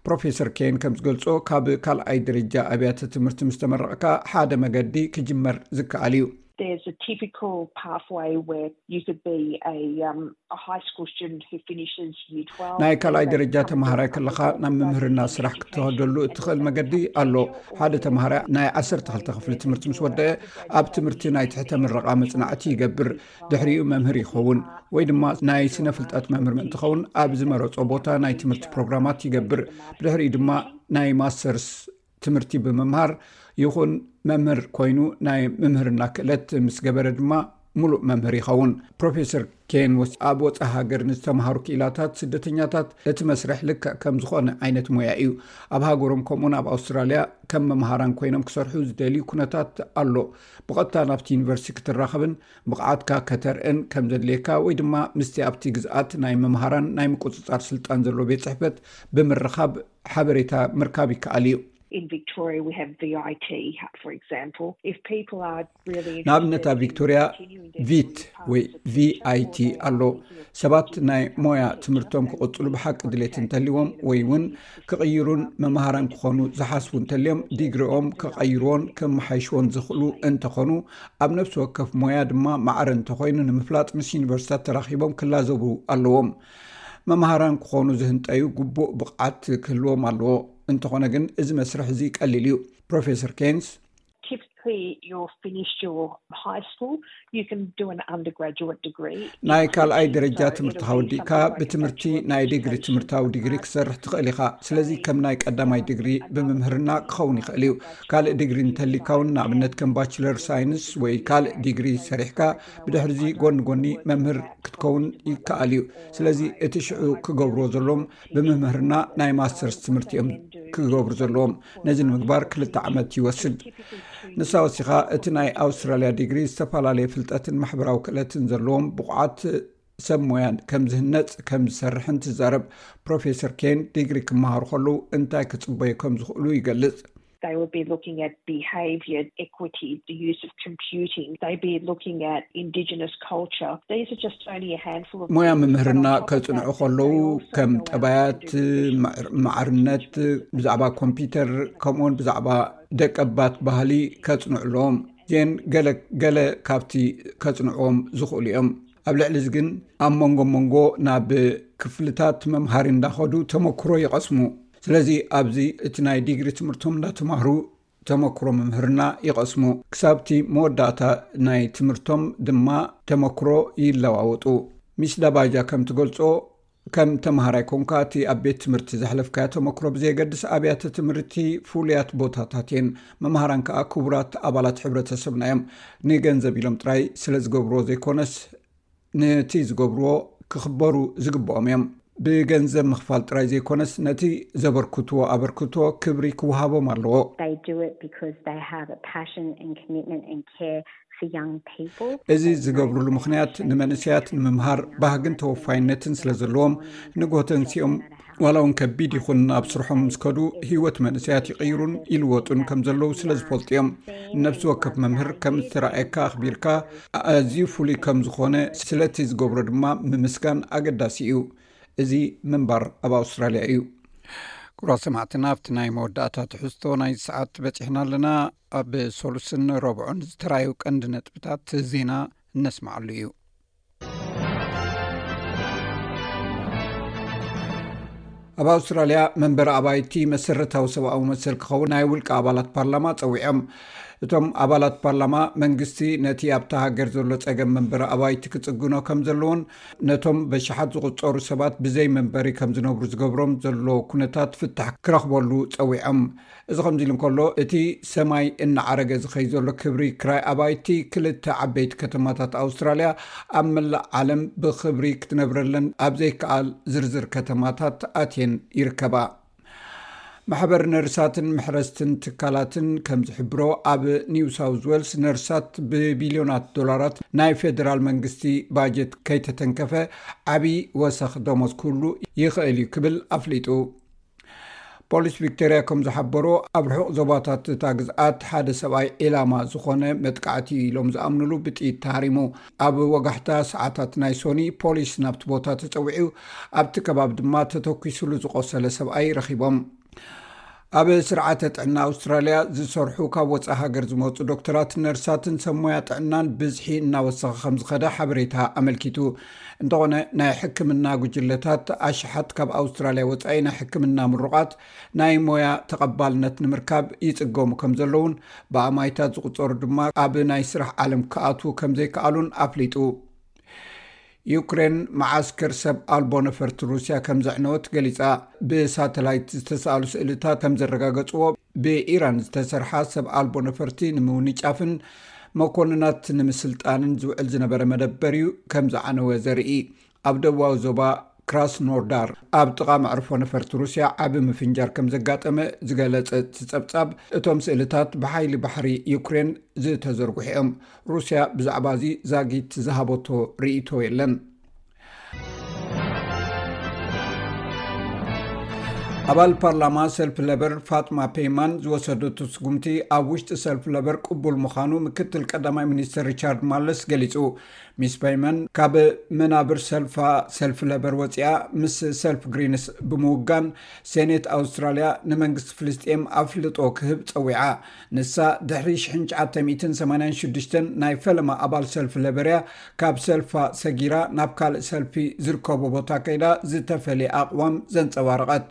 ፕሮፌሰር ኬን ከም ዝገልጾ፣ ካብ ካልኣይ ደረጃ ኣብያተ ትምህርቲ ምስ ተመረቕካ፣ ሓደ መገዲ ክጅመር ዝከኣል እዩ። There's a typical pathway where you could be a, um, a high school student who finishes year twelve. ናይ ካልኣይ ደረጃ ተምሃራይ ከለኻ ናብ ምምህርና ስራሕ ክትኸደሉ እትኽእል መገዲ ኣሎ። ሓደ ተምሃራይ ናይ ዓሰርተ ክልተ ክፍሊ ትምህርቲ ምስ ወደአ፣ ኣብ ትምህርቲ ናይ ትሕተ ምረቓ መጽናዕቲ ይገብር። ድሕሪኡ መምህር ይኸውን፣ ወይ ድማ ናይ ስነ ፍልጠት መምህር ምእንቲ ኸውን ኣብ ዝመረጾ ቦታ ናይ ትምህርቲ ፕሮግራማት ይገብር። ብድሕሪኡ ድማ ናይ ማስተርስ ትምህርቲ ብምምሃር ይኹን መምህር ኮይኑ ናይ ምምህርና ክእለት ምስ ገበረ ድማ ሙሉእ መምህር ይኸውን። ፕሮፌሰር ኬን ወስ-፣ ኣብ ወፃኢ ሃገር ንዝተምሃሩ ክኢላታት ስደተኛታት እቲ መስርሕ ልክዕ ከም ዝኾነ ዓይነት ሞያ እዩ። ኣብ ሃገሮም ከምኡን ኣብ ኣውስትራልያ ከም መምሃራን ኮይኖም ክሰርሑ ዝደልዩ ኩነታት ኣሎ። ብቐጥታ ናብቲ ዩኒቨርሲቲ ክትራኸብን ብቕዓትካ ከተርእን ከም ዘድልየካ ወይ ድማ ምስቲ ኣብቲ ግዝኣት ናይ መምሃራን ናይ ምቁፅፃር ስልጣን ዘለዎ ቤት ፅሕፈት ብምርኻብ ሓበሬታ ምርካብ ይከኣል እዩ። In Victoria, we have V I T, for example. If people are really ንኣብነት ኣብ ቪክቶርያ ቪት ወይ ቪ ኣይ ቲ ኣሎ። ሰባት ናይ ሞያ ትምህርቶም ክቕጽሉ ብሓቂ ድሌት እንተልዎም ወይ እውን ክቕይሩን መምሃራን ክኾኑ ዝሓስቡ እንተልዮም፣ ዲግሪኦም ክቐይርዎን ከመሓይሽዎን ዝኽእሉ እንተኾኑ፣ ኣብ ነፍሲ ወከፍ ሞያ ድማ ማዕረ እንተኾይኑ ንምፍላጥ ምስ ዩኒቨርሲታት ተራኺቦም ክላዘቡ ኣለዎም። መምሃራን ክኾኑ ዝህንጠዩ ግቡእ ብቕዓት ክህልዎም ኣለዎ። እንተኾነ ግን እዚ መስርሕ እዚ ቀሊል እዩ። ፕሮፌሰር ኬንስ Typically, you've finished your high school, you can do an undergraduate degree. ናይ ካልኣይ ደረጃ ትምህርትኻ ወዲእካ ብትምህርቲ ናይ ዲግሪ ትምህርታዊ ዲግሪ ክሰርሕ ትኽእል ኢኻ። ስለዚ ከም ናይ ቀዳማይ ዲግሪ ብምምህርና ክኸውን ይኽእል እዩ። ካልእ ዲግሪ እንተሊካ እውን፣ ንኣብነት ከም ባችለር ሳይንስ ወይ ካልእ ዲግሪ ሰሪሕካ፣ ብድሕርዚ ጎኒ ጎኒ መምህር ክትከውን ይከኣል እዩ። ስለዚ እቲ ሽዑ ክገብርዎ ዘለዎም፣ ብምምህርና ናይ ማስተርስ ትምህርቲ እዮም ክገብሩ ዘለዎም። ነዚ ንምግባር ክልተ ዓመት ይወስድ። ንሳ ወሲኻ፣ እቲ ናይ ኣውስትራልያ ዲግሪ ዝተፈላለየ ፍልጠትን ማሕበራዊ ክእለትን ዘለዎም ብቑዓት ሰብ ሞያን ከም ዝህነጽ ከም ዝሰርሕን ትዛረብ። ፕሮፌሰር ኬን፣ ዲግሪ ክመሃሩ ከለዉ እንታይ ክጽበዩ ከም ዝኽእሉ ይገልጽ። They would be looking at behaviour, equity, the use of computing. They'd be looking at Indigenous culture. These are just only a handful of ሞያ things, but ምምህርና on top of ከጽንዑ that, ከለዉ፣ they also ከም go out ጠባያት፣ and do research. ማዕርነት፣ ብዛዕባ ኮምፒውተር፣ ከምኡውን ብዛዕባ ደቀባት ባህሊ ከጽንዑ ኣለዎም። እዚአን ገለ ገለ ካብቲ ከጽንዕዎም ዝኽእሉ እዮም። ኣብ ልዕሊ እዚ ግን፣ ኣብ መንጎ መንጎ ናብ ክፍልታት መምሃሪ እንዳኸዱ ተመክሮ ይቐስሙ። ስለዚ ኣብዚ እቲ ናይ ዲግሪ ትምህርቶም እንዳተማህሩ ተመክሮ ምምህርና ይቐስሙ። ክሳብቲ መወዳእታ ናይ ትምህርቶም ድማ ተመክሮ ይለዋወጡ። ሚስ ዳባጃ ከም ትገልጾ፣ ከም ተምሃራይ ኮንካ፣ እቲ ኣብ ቤት ትምህርቲ ዘሕለፍካዮ ተመክሮ ብዘየገድስ፣ ኣብያተ ትምህርቲ ፍሉያት ቦታታት እየን። መምሃራን ከኣ ክቡራት ኣባላት ሕብረተሰብና እዮም። ንገንዘብ ኢሎም ጥራይ ስለ ዝገብርዎ ዘይኮነስ፣ ነቲ ዝገብርዎ ክኽበሩ ዝግብኦም እዮም። ብገንዘብ ምኽፋል ጥራይ ዘይኮነስ፣ ነቲ ዘበርክትዎ ኣበርክቶ ክብሪ ክወሃቦም ኣለዎ። They do it because they have a passion and commitment and care for young people. እዚ ዝገብሩሉ ምኽንያት፣ ንመንእሰያት ንምምሃር ባህግን ተወፋይነትን ስለ ዘለዎም፣ ንግሆ ተንሲኦም፣ ዋላ እውን ከቢድ ይኹን፣ ኣብ ስርሖም ምስ ከዱ፣ ህይወት መንእሰያት ይቕይሩን ይልወጡን ከም ዘለዉ ስለ ዝፈልጡ እዮም። ነፍሲ ወከፍ መምህር ከም ዝተረኣየካ ኣኽቢርካ፣ ኣዝዩ ፍሉይ ከም ዝኾነ፣ ስለቲ ዝገብሮ ድማ ምምስጋን ኣገዳሲ እዩ። እዚ ምንባር ኣብ ኣውስትራልያ እዩ። ክቡራት ሰማዕትና፣ ኣብቲ ናይ መወዳእታ ትሕዝቶ ናይ ሰዓት በጺሕና ኣለና። ኣብ ሶሉስን ረብዑን ዝተራዩ ቀንዲ ነጥብታት ዜና እነስማዓሉ እዩ። ኣብ ኣውስትራልያ መንበሪ ኣባይቲ መሰረታዊ ሰብኣዊ መሰል ክኸውን ናይ ውልቂ ኣባላት ፓርላማ ጸዊዖም። እቶም ኣባላት ፓርላማ መንግስቲ ነቲ ኣብታ ሃገር ዘሎ ጸገም መንበሪ ኣባይቲ ክጽግኖ ከም ዘለዎን ነቶም በሽሓት ዝቑጸሩ ሰባት ብዘይ መንበሪ ከም ዝነብሩ ዝገብሮም ዘሎ ኩነታት ፍታሕ ክረኽበሉ ጸዊዖም። እዚ ከምዚ ኢሉ እንከሎ፣ እቲ ሰማይ እናዓረገ ዝኸይ ዘሎ ክብሪ ክራይ ኣባይቲ ክልተ ዓበይቲ ከተማታት ኣውስትራልያ ኣብ መላእ ዓለም ብኽብሪ ክትነብረለን ኣብ ዘይከኣል ዝርዝር ከተማታት ኣትየን ይርከባ። ማሕበር ነርሳትን መሕረስትን ትካላትን ከም ዝሕብሮ፣ ኣብ ኒው ሳውዝ ዌልስ ነርሳት ብቢልዮናት ዶላራት ናይ ፌደራል መንግስቲ ባጀት ከይተተንከፈ ዓብዪ ወሰኽ ደሞዝ ክህሉ ይኽእል እዩ ክብል ኣፍሊጡ። ፖሊስ ቪክቶርያ ከም ዝሓበሮ፣ ኣብ ርሑቕ ዞባታት እታ ግዝኣት ሓደ ሰብኣይ ዒላማ ዝኾነ መጥቃዕቲ ኢሎም ዝኣምንሉ ብጥይት ተሃሪሙ። ኣብ ወጋሕታ ሰዓታት ናይ ሶኒ ፖሊስ ናብቲ ቦታ ተጸዊዑ፣ ኣብቲ ከባቢ ድማ ተተኲሱሉ ዝቖሰለ ሰብኣይ ረኺቦም። ኣብ ስርዓተ ጥዕና ኣውስትራልያ ዝሰርሑ ካብ ወጻኢ ሃገር ዝመጹ ዶክተራት፣ ነርሳትን ሰብ ሞያ ጥዕናን ብዝሒ እናወሰኸ ከም ዝኸደ ሓበሬታ ኣመልኪቱ። እንተኾነ፣ ናይ ሕክምና ጉጅለታት ኣሽሓት ካብ ኣውስትራልያ ወጻኢ ናይ ሕክምና ምሩቓት ናይ ሞያ ተቐባልነት ንምርካብ ይጽገሙ ከም ዘለውን ብኣማይታት ዝቑጸሩ ድማ ኣብ ናይ ስራሕ ዓለም ክኣትዉ ከም ዘይከኣሉን ኣፍሊጡ። ዩክሬን መዓስከር ሰብ ኣልቦ ነፈርቲ ሩስያ ከም ዘዕነወት ገሊጻ። ብሳተላይት ዝተሳእሉ ስእልታት ከም ዘረጋገጽዎ፣ ብኢራን ዝተሰርሓ ሰብ ኣልቦ ነፈርቲ ንምውንጫፍን መኮንናት ንምስልጣንን ዝውዕል ዝነበረ መደበር እዩ ከም ዝዓነወ ዘርኢ። ኣብ ደቡባዊ ዞባ ክራስኖዳር ኣብ ጥቓ መዕርፎ ነፈርቲ ሩስያ ዓቢ ምፍንጃር ከም ዘጋጠመ ዝገለጸ እቲ ጸብጻብ፣ እቶም ስእልታት ብሓይሊ ባሕሪ ዩክሬን ዝተዘርግሑ እዮም። ሩስያ ብዛዕባ እዚ ዛጊት ዝሃበቶ ርእይቶ የለን። ኣባል ፓርላማ ሰልፊ ለበር ፋጥማ ፔይማን ዝወሰደቶ ስጉምቲ ኣብ ውሽጢ ሰልፊ ለበር ቅቡል ምዃኑ ምክትል ቀዳማይ ሚኒስትር ሪቻርድ ማለስ ገሊጹ። ሚስ ፔይማን ካብ መናብር ሰልፋ ሰልፊ ለበር ወጺኣ ምስ ሰልፊ ግሪንስ ብምውጋን ሴኔት ኣውስትራልያ ንመንግስቲ ፍልስጤም ኣፍልጦ ክህብ ጸዊዓ። ንሳ ድሕሪ ሽሕን ትሽዓተ ሚእትን ሰማንያን ሽዱሽተን ናይ ፈለማ ኣባል ሰልፊ ለበር እያ። ካብ ሰልፋ ሰጊራ ናብ ካልእ ሰልፊ ዝርከቦ ቦታ ከይዳ ዝተፈልየ ኣቕዋም ዘንጸባረቐት።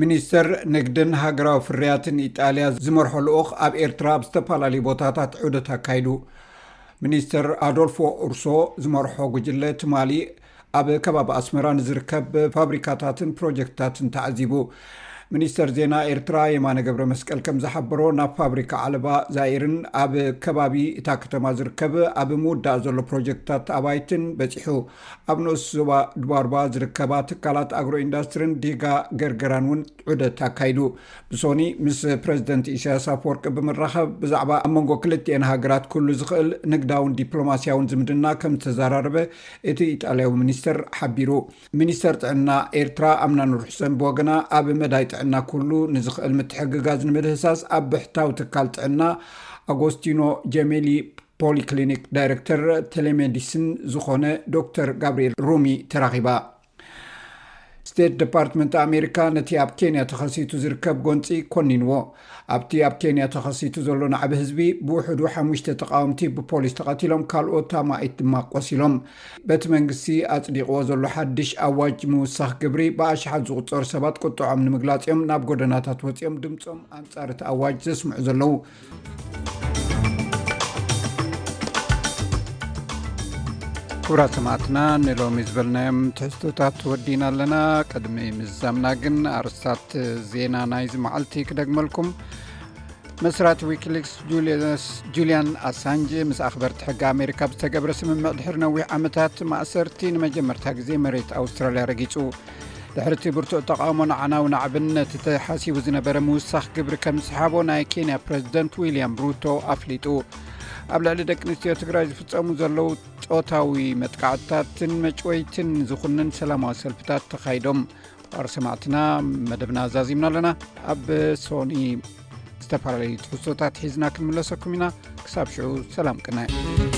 ሚኒስተር ንግድን ሃገራዊ ፍርያትን ኢጣልያ ዝመርሖ ልኡኽ ኣብ ኤርትራ ኣብ ዝተፈላለዩ ቦታታት ዑደት ኣካይዱ። ሚኒስተር ኣዶልፎ ኡርሶ ዝመርሖ ጉጅለ ትማሊ ኣብ ከባቢ ኣስመራ ንዝርከብ ፋብሪካታትን ፕሮጀክትታትን ተዓዚቡ። ሚኒስተር ዜና ኤርትራ የማነ ገብረ መስቀል ከም ዝሓበሮ፣ ናብ ፋብሪካ ዓለባ ዛይርን ኣብ ከባቢ እታ ከተማ ዝርከብ ኣብ ምውዳእ ዘሎ ፕሮጀክትታት ኣባይትን በጺሑ። ኣብ ንኡስ ዞባ ድባርባ ዝርከባ ትካላት ኣግሮ ኢንዳስትሪን ዲጋ ገርገራን እውን ዑደት ኣካይዱ። ብሶኒ ምስ ፕረዚደንት ኢሳያስ ኣፈወርቂ ብምራኸብ ብዛዕባ ኣብ መንጎ ክልቲኤን ሃገራት ክህሉ ዝኽእል ንግዳውን ዲፕሎማስያውን ዝምድና ከም ዝተዘራረበ እቲ ኢጣልያዊ ሚኒስተር ሓቢሩ። ሚኒስተር ጥዕና ኤርትራ ኣምናን ርሑሰን ብወገና፣ ኣብ መዳይ ጥዕና ክህሉ ንዝኽእል ምትሕግጋዝ ንምድህሳስ ኣብ ብሕታዊ ትካል ጥዕና ኣጎስቲኖ ጀሜሊ ፖሊክሊኒክ ዳይሬክተር ቴሌሜዲሲን ዝኾነ ዶክተር ጋብርኤል ሩሚ ተራኺባ። ስቴት ዲፓርትመንት ኣሜሪካ ነቲ ኣብ ኬንያ ተኸሲቱ ዝርከብ ጎንጺ ኮኒንዎ። ኣብቲ ኣብ ኬንያ ተኸሲቱ ዘሎ ናዕቢ ህዝቢ ብውሕዱ ሓሙሽተ ተቓወምቲ ብፖሊስ ተቐቲሎም፣ ካልኦት ኣማኢት ድማ ቆሲሎም። በቲ መንግስቲ ኣጽዲቕዎ ዘሎ ሓድሽ ኣዋጅ ምውሳኽ ግብሪ፣ ብኣሽሓት ዝቑጸሩ ሰባት ቁጥዖም ንምግላጽ እዮም ናብ ጎደናታት ወጺኦም ድምጾም ኣንጻር እቲ ኣዋጅ ዘስምዑ ዘለዉ። ክቡራት ሰማዕትና፣ ንሎሚ ዝበልናዮም ትሕዝቶታት ወዲና ኣለና። ቅድሚ ምዝዛምና ግን ኣርስታት ዜና ናይዚ መዓልቲ ክደግመልኩም። መስራቲ ዊኪሊክስ ጁልየስ፣ ጁልያን ኣሳንጅ ምስ ኣኽበርቲ ሕጊ ኣሜሪካ ብዝተገብረ ስምምዕ ድሕሪ ነዊሕ ዓመታት ማእሰርቲ ንመጀመርታ ግዜ መሬት ኣውስትራልያ ረጊጹ። ድሕሪ እቲ ብርቱዕ ተቓውሞን ኣዕናዊ ናዕብን፣ ነቲ ተሓሲቡ ዝነበረ ምውሳኽ ግብሪ ከም ዝሰሓቦ ናይ ኬንያ ፕረዚደንት ዊልያም ሩቶ ኣፍሊጡ። ኣብ ልዕሊ ደቂ ኣንስትዮ ትግራይ ዝፍጸሙ ዘለዉ ጾታዊ መጥቃዕትታትን መጭወይትን ዝኹንን ሰላማዊ ሰልፍታት ተኻይዶም። ክቡራት ሰማዕትና፣ መደብና ዛዚምና ኣለና። ኣብ ሶኒ ዝተፈላለዩ ትሕዝቶታት ሒዝና ክንምለሰኩም ኢና። ክሳብ ሽዑ ሰላም ቅነ።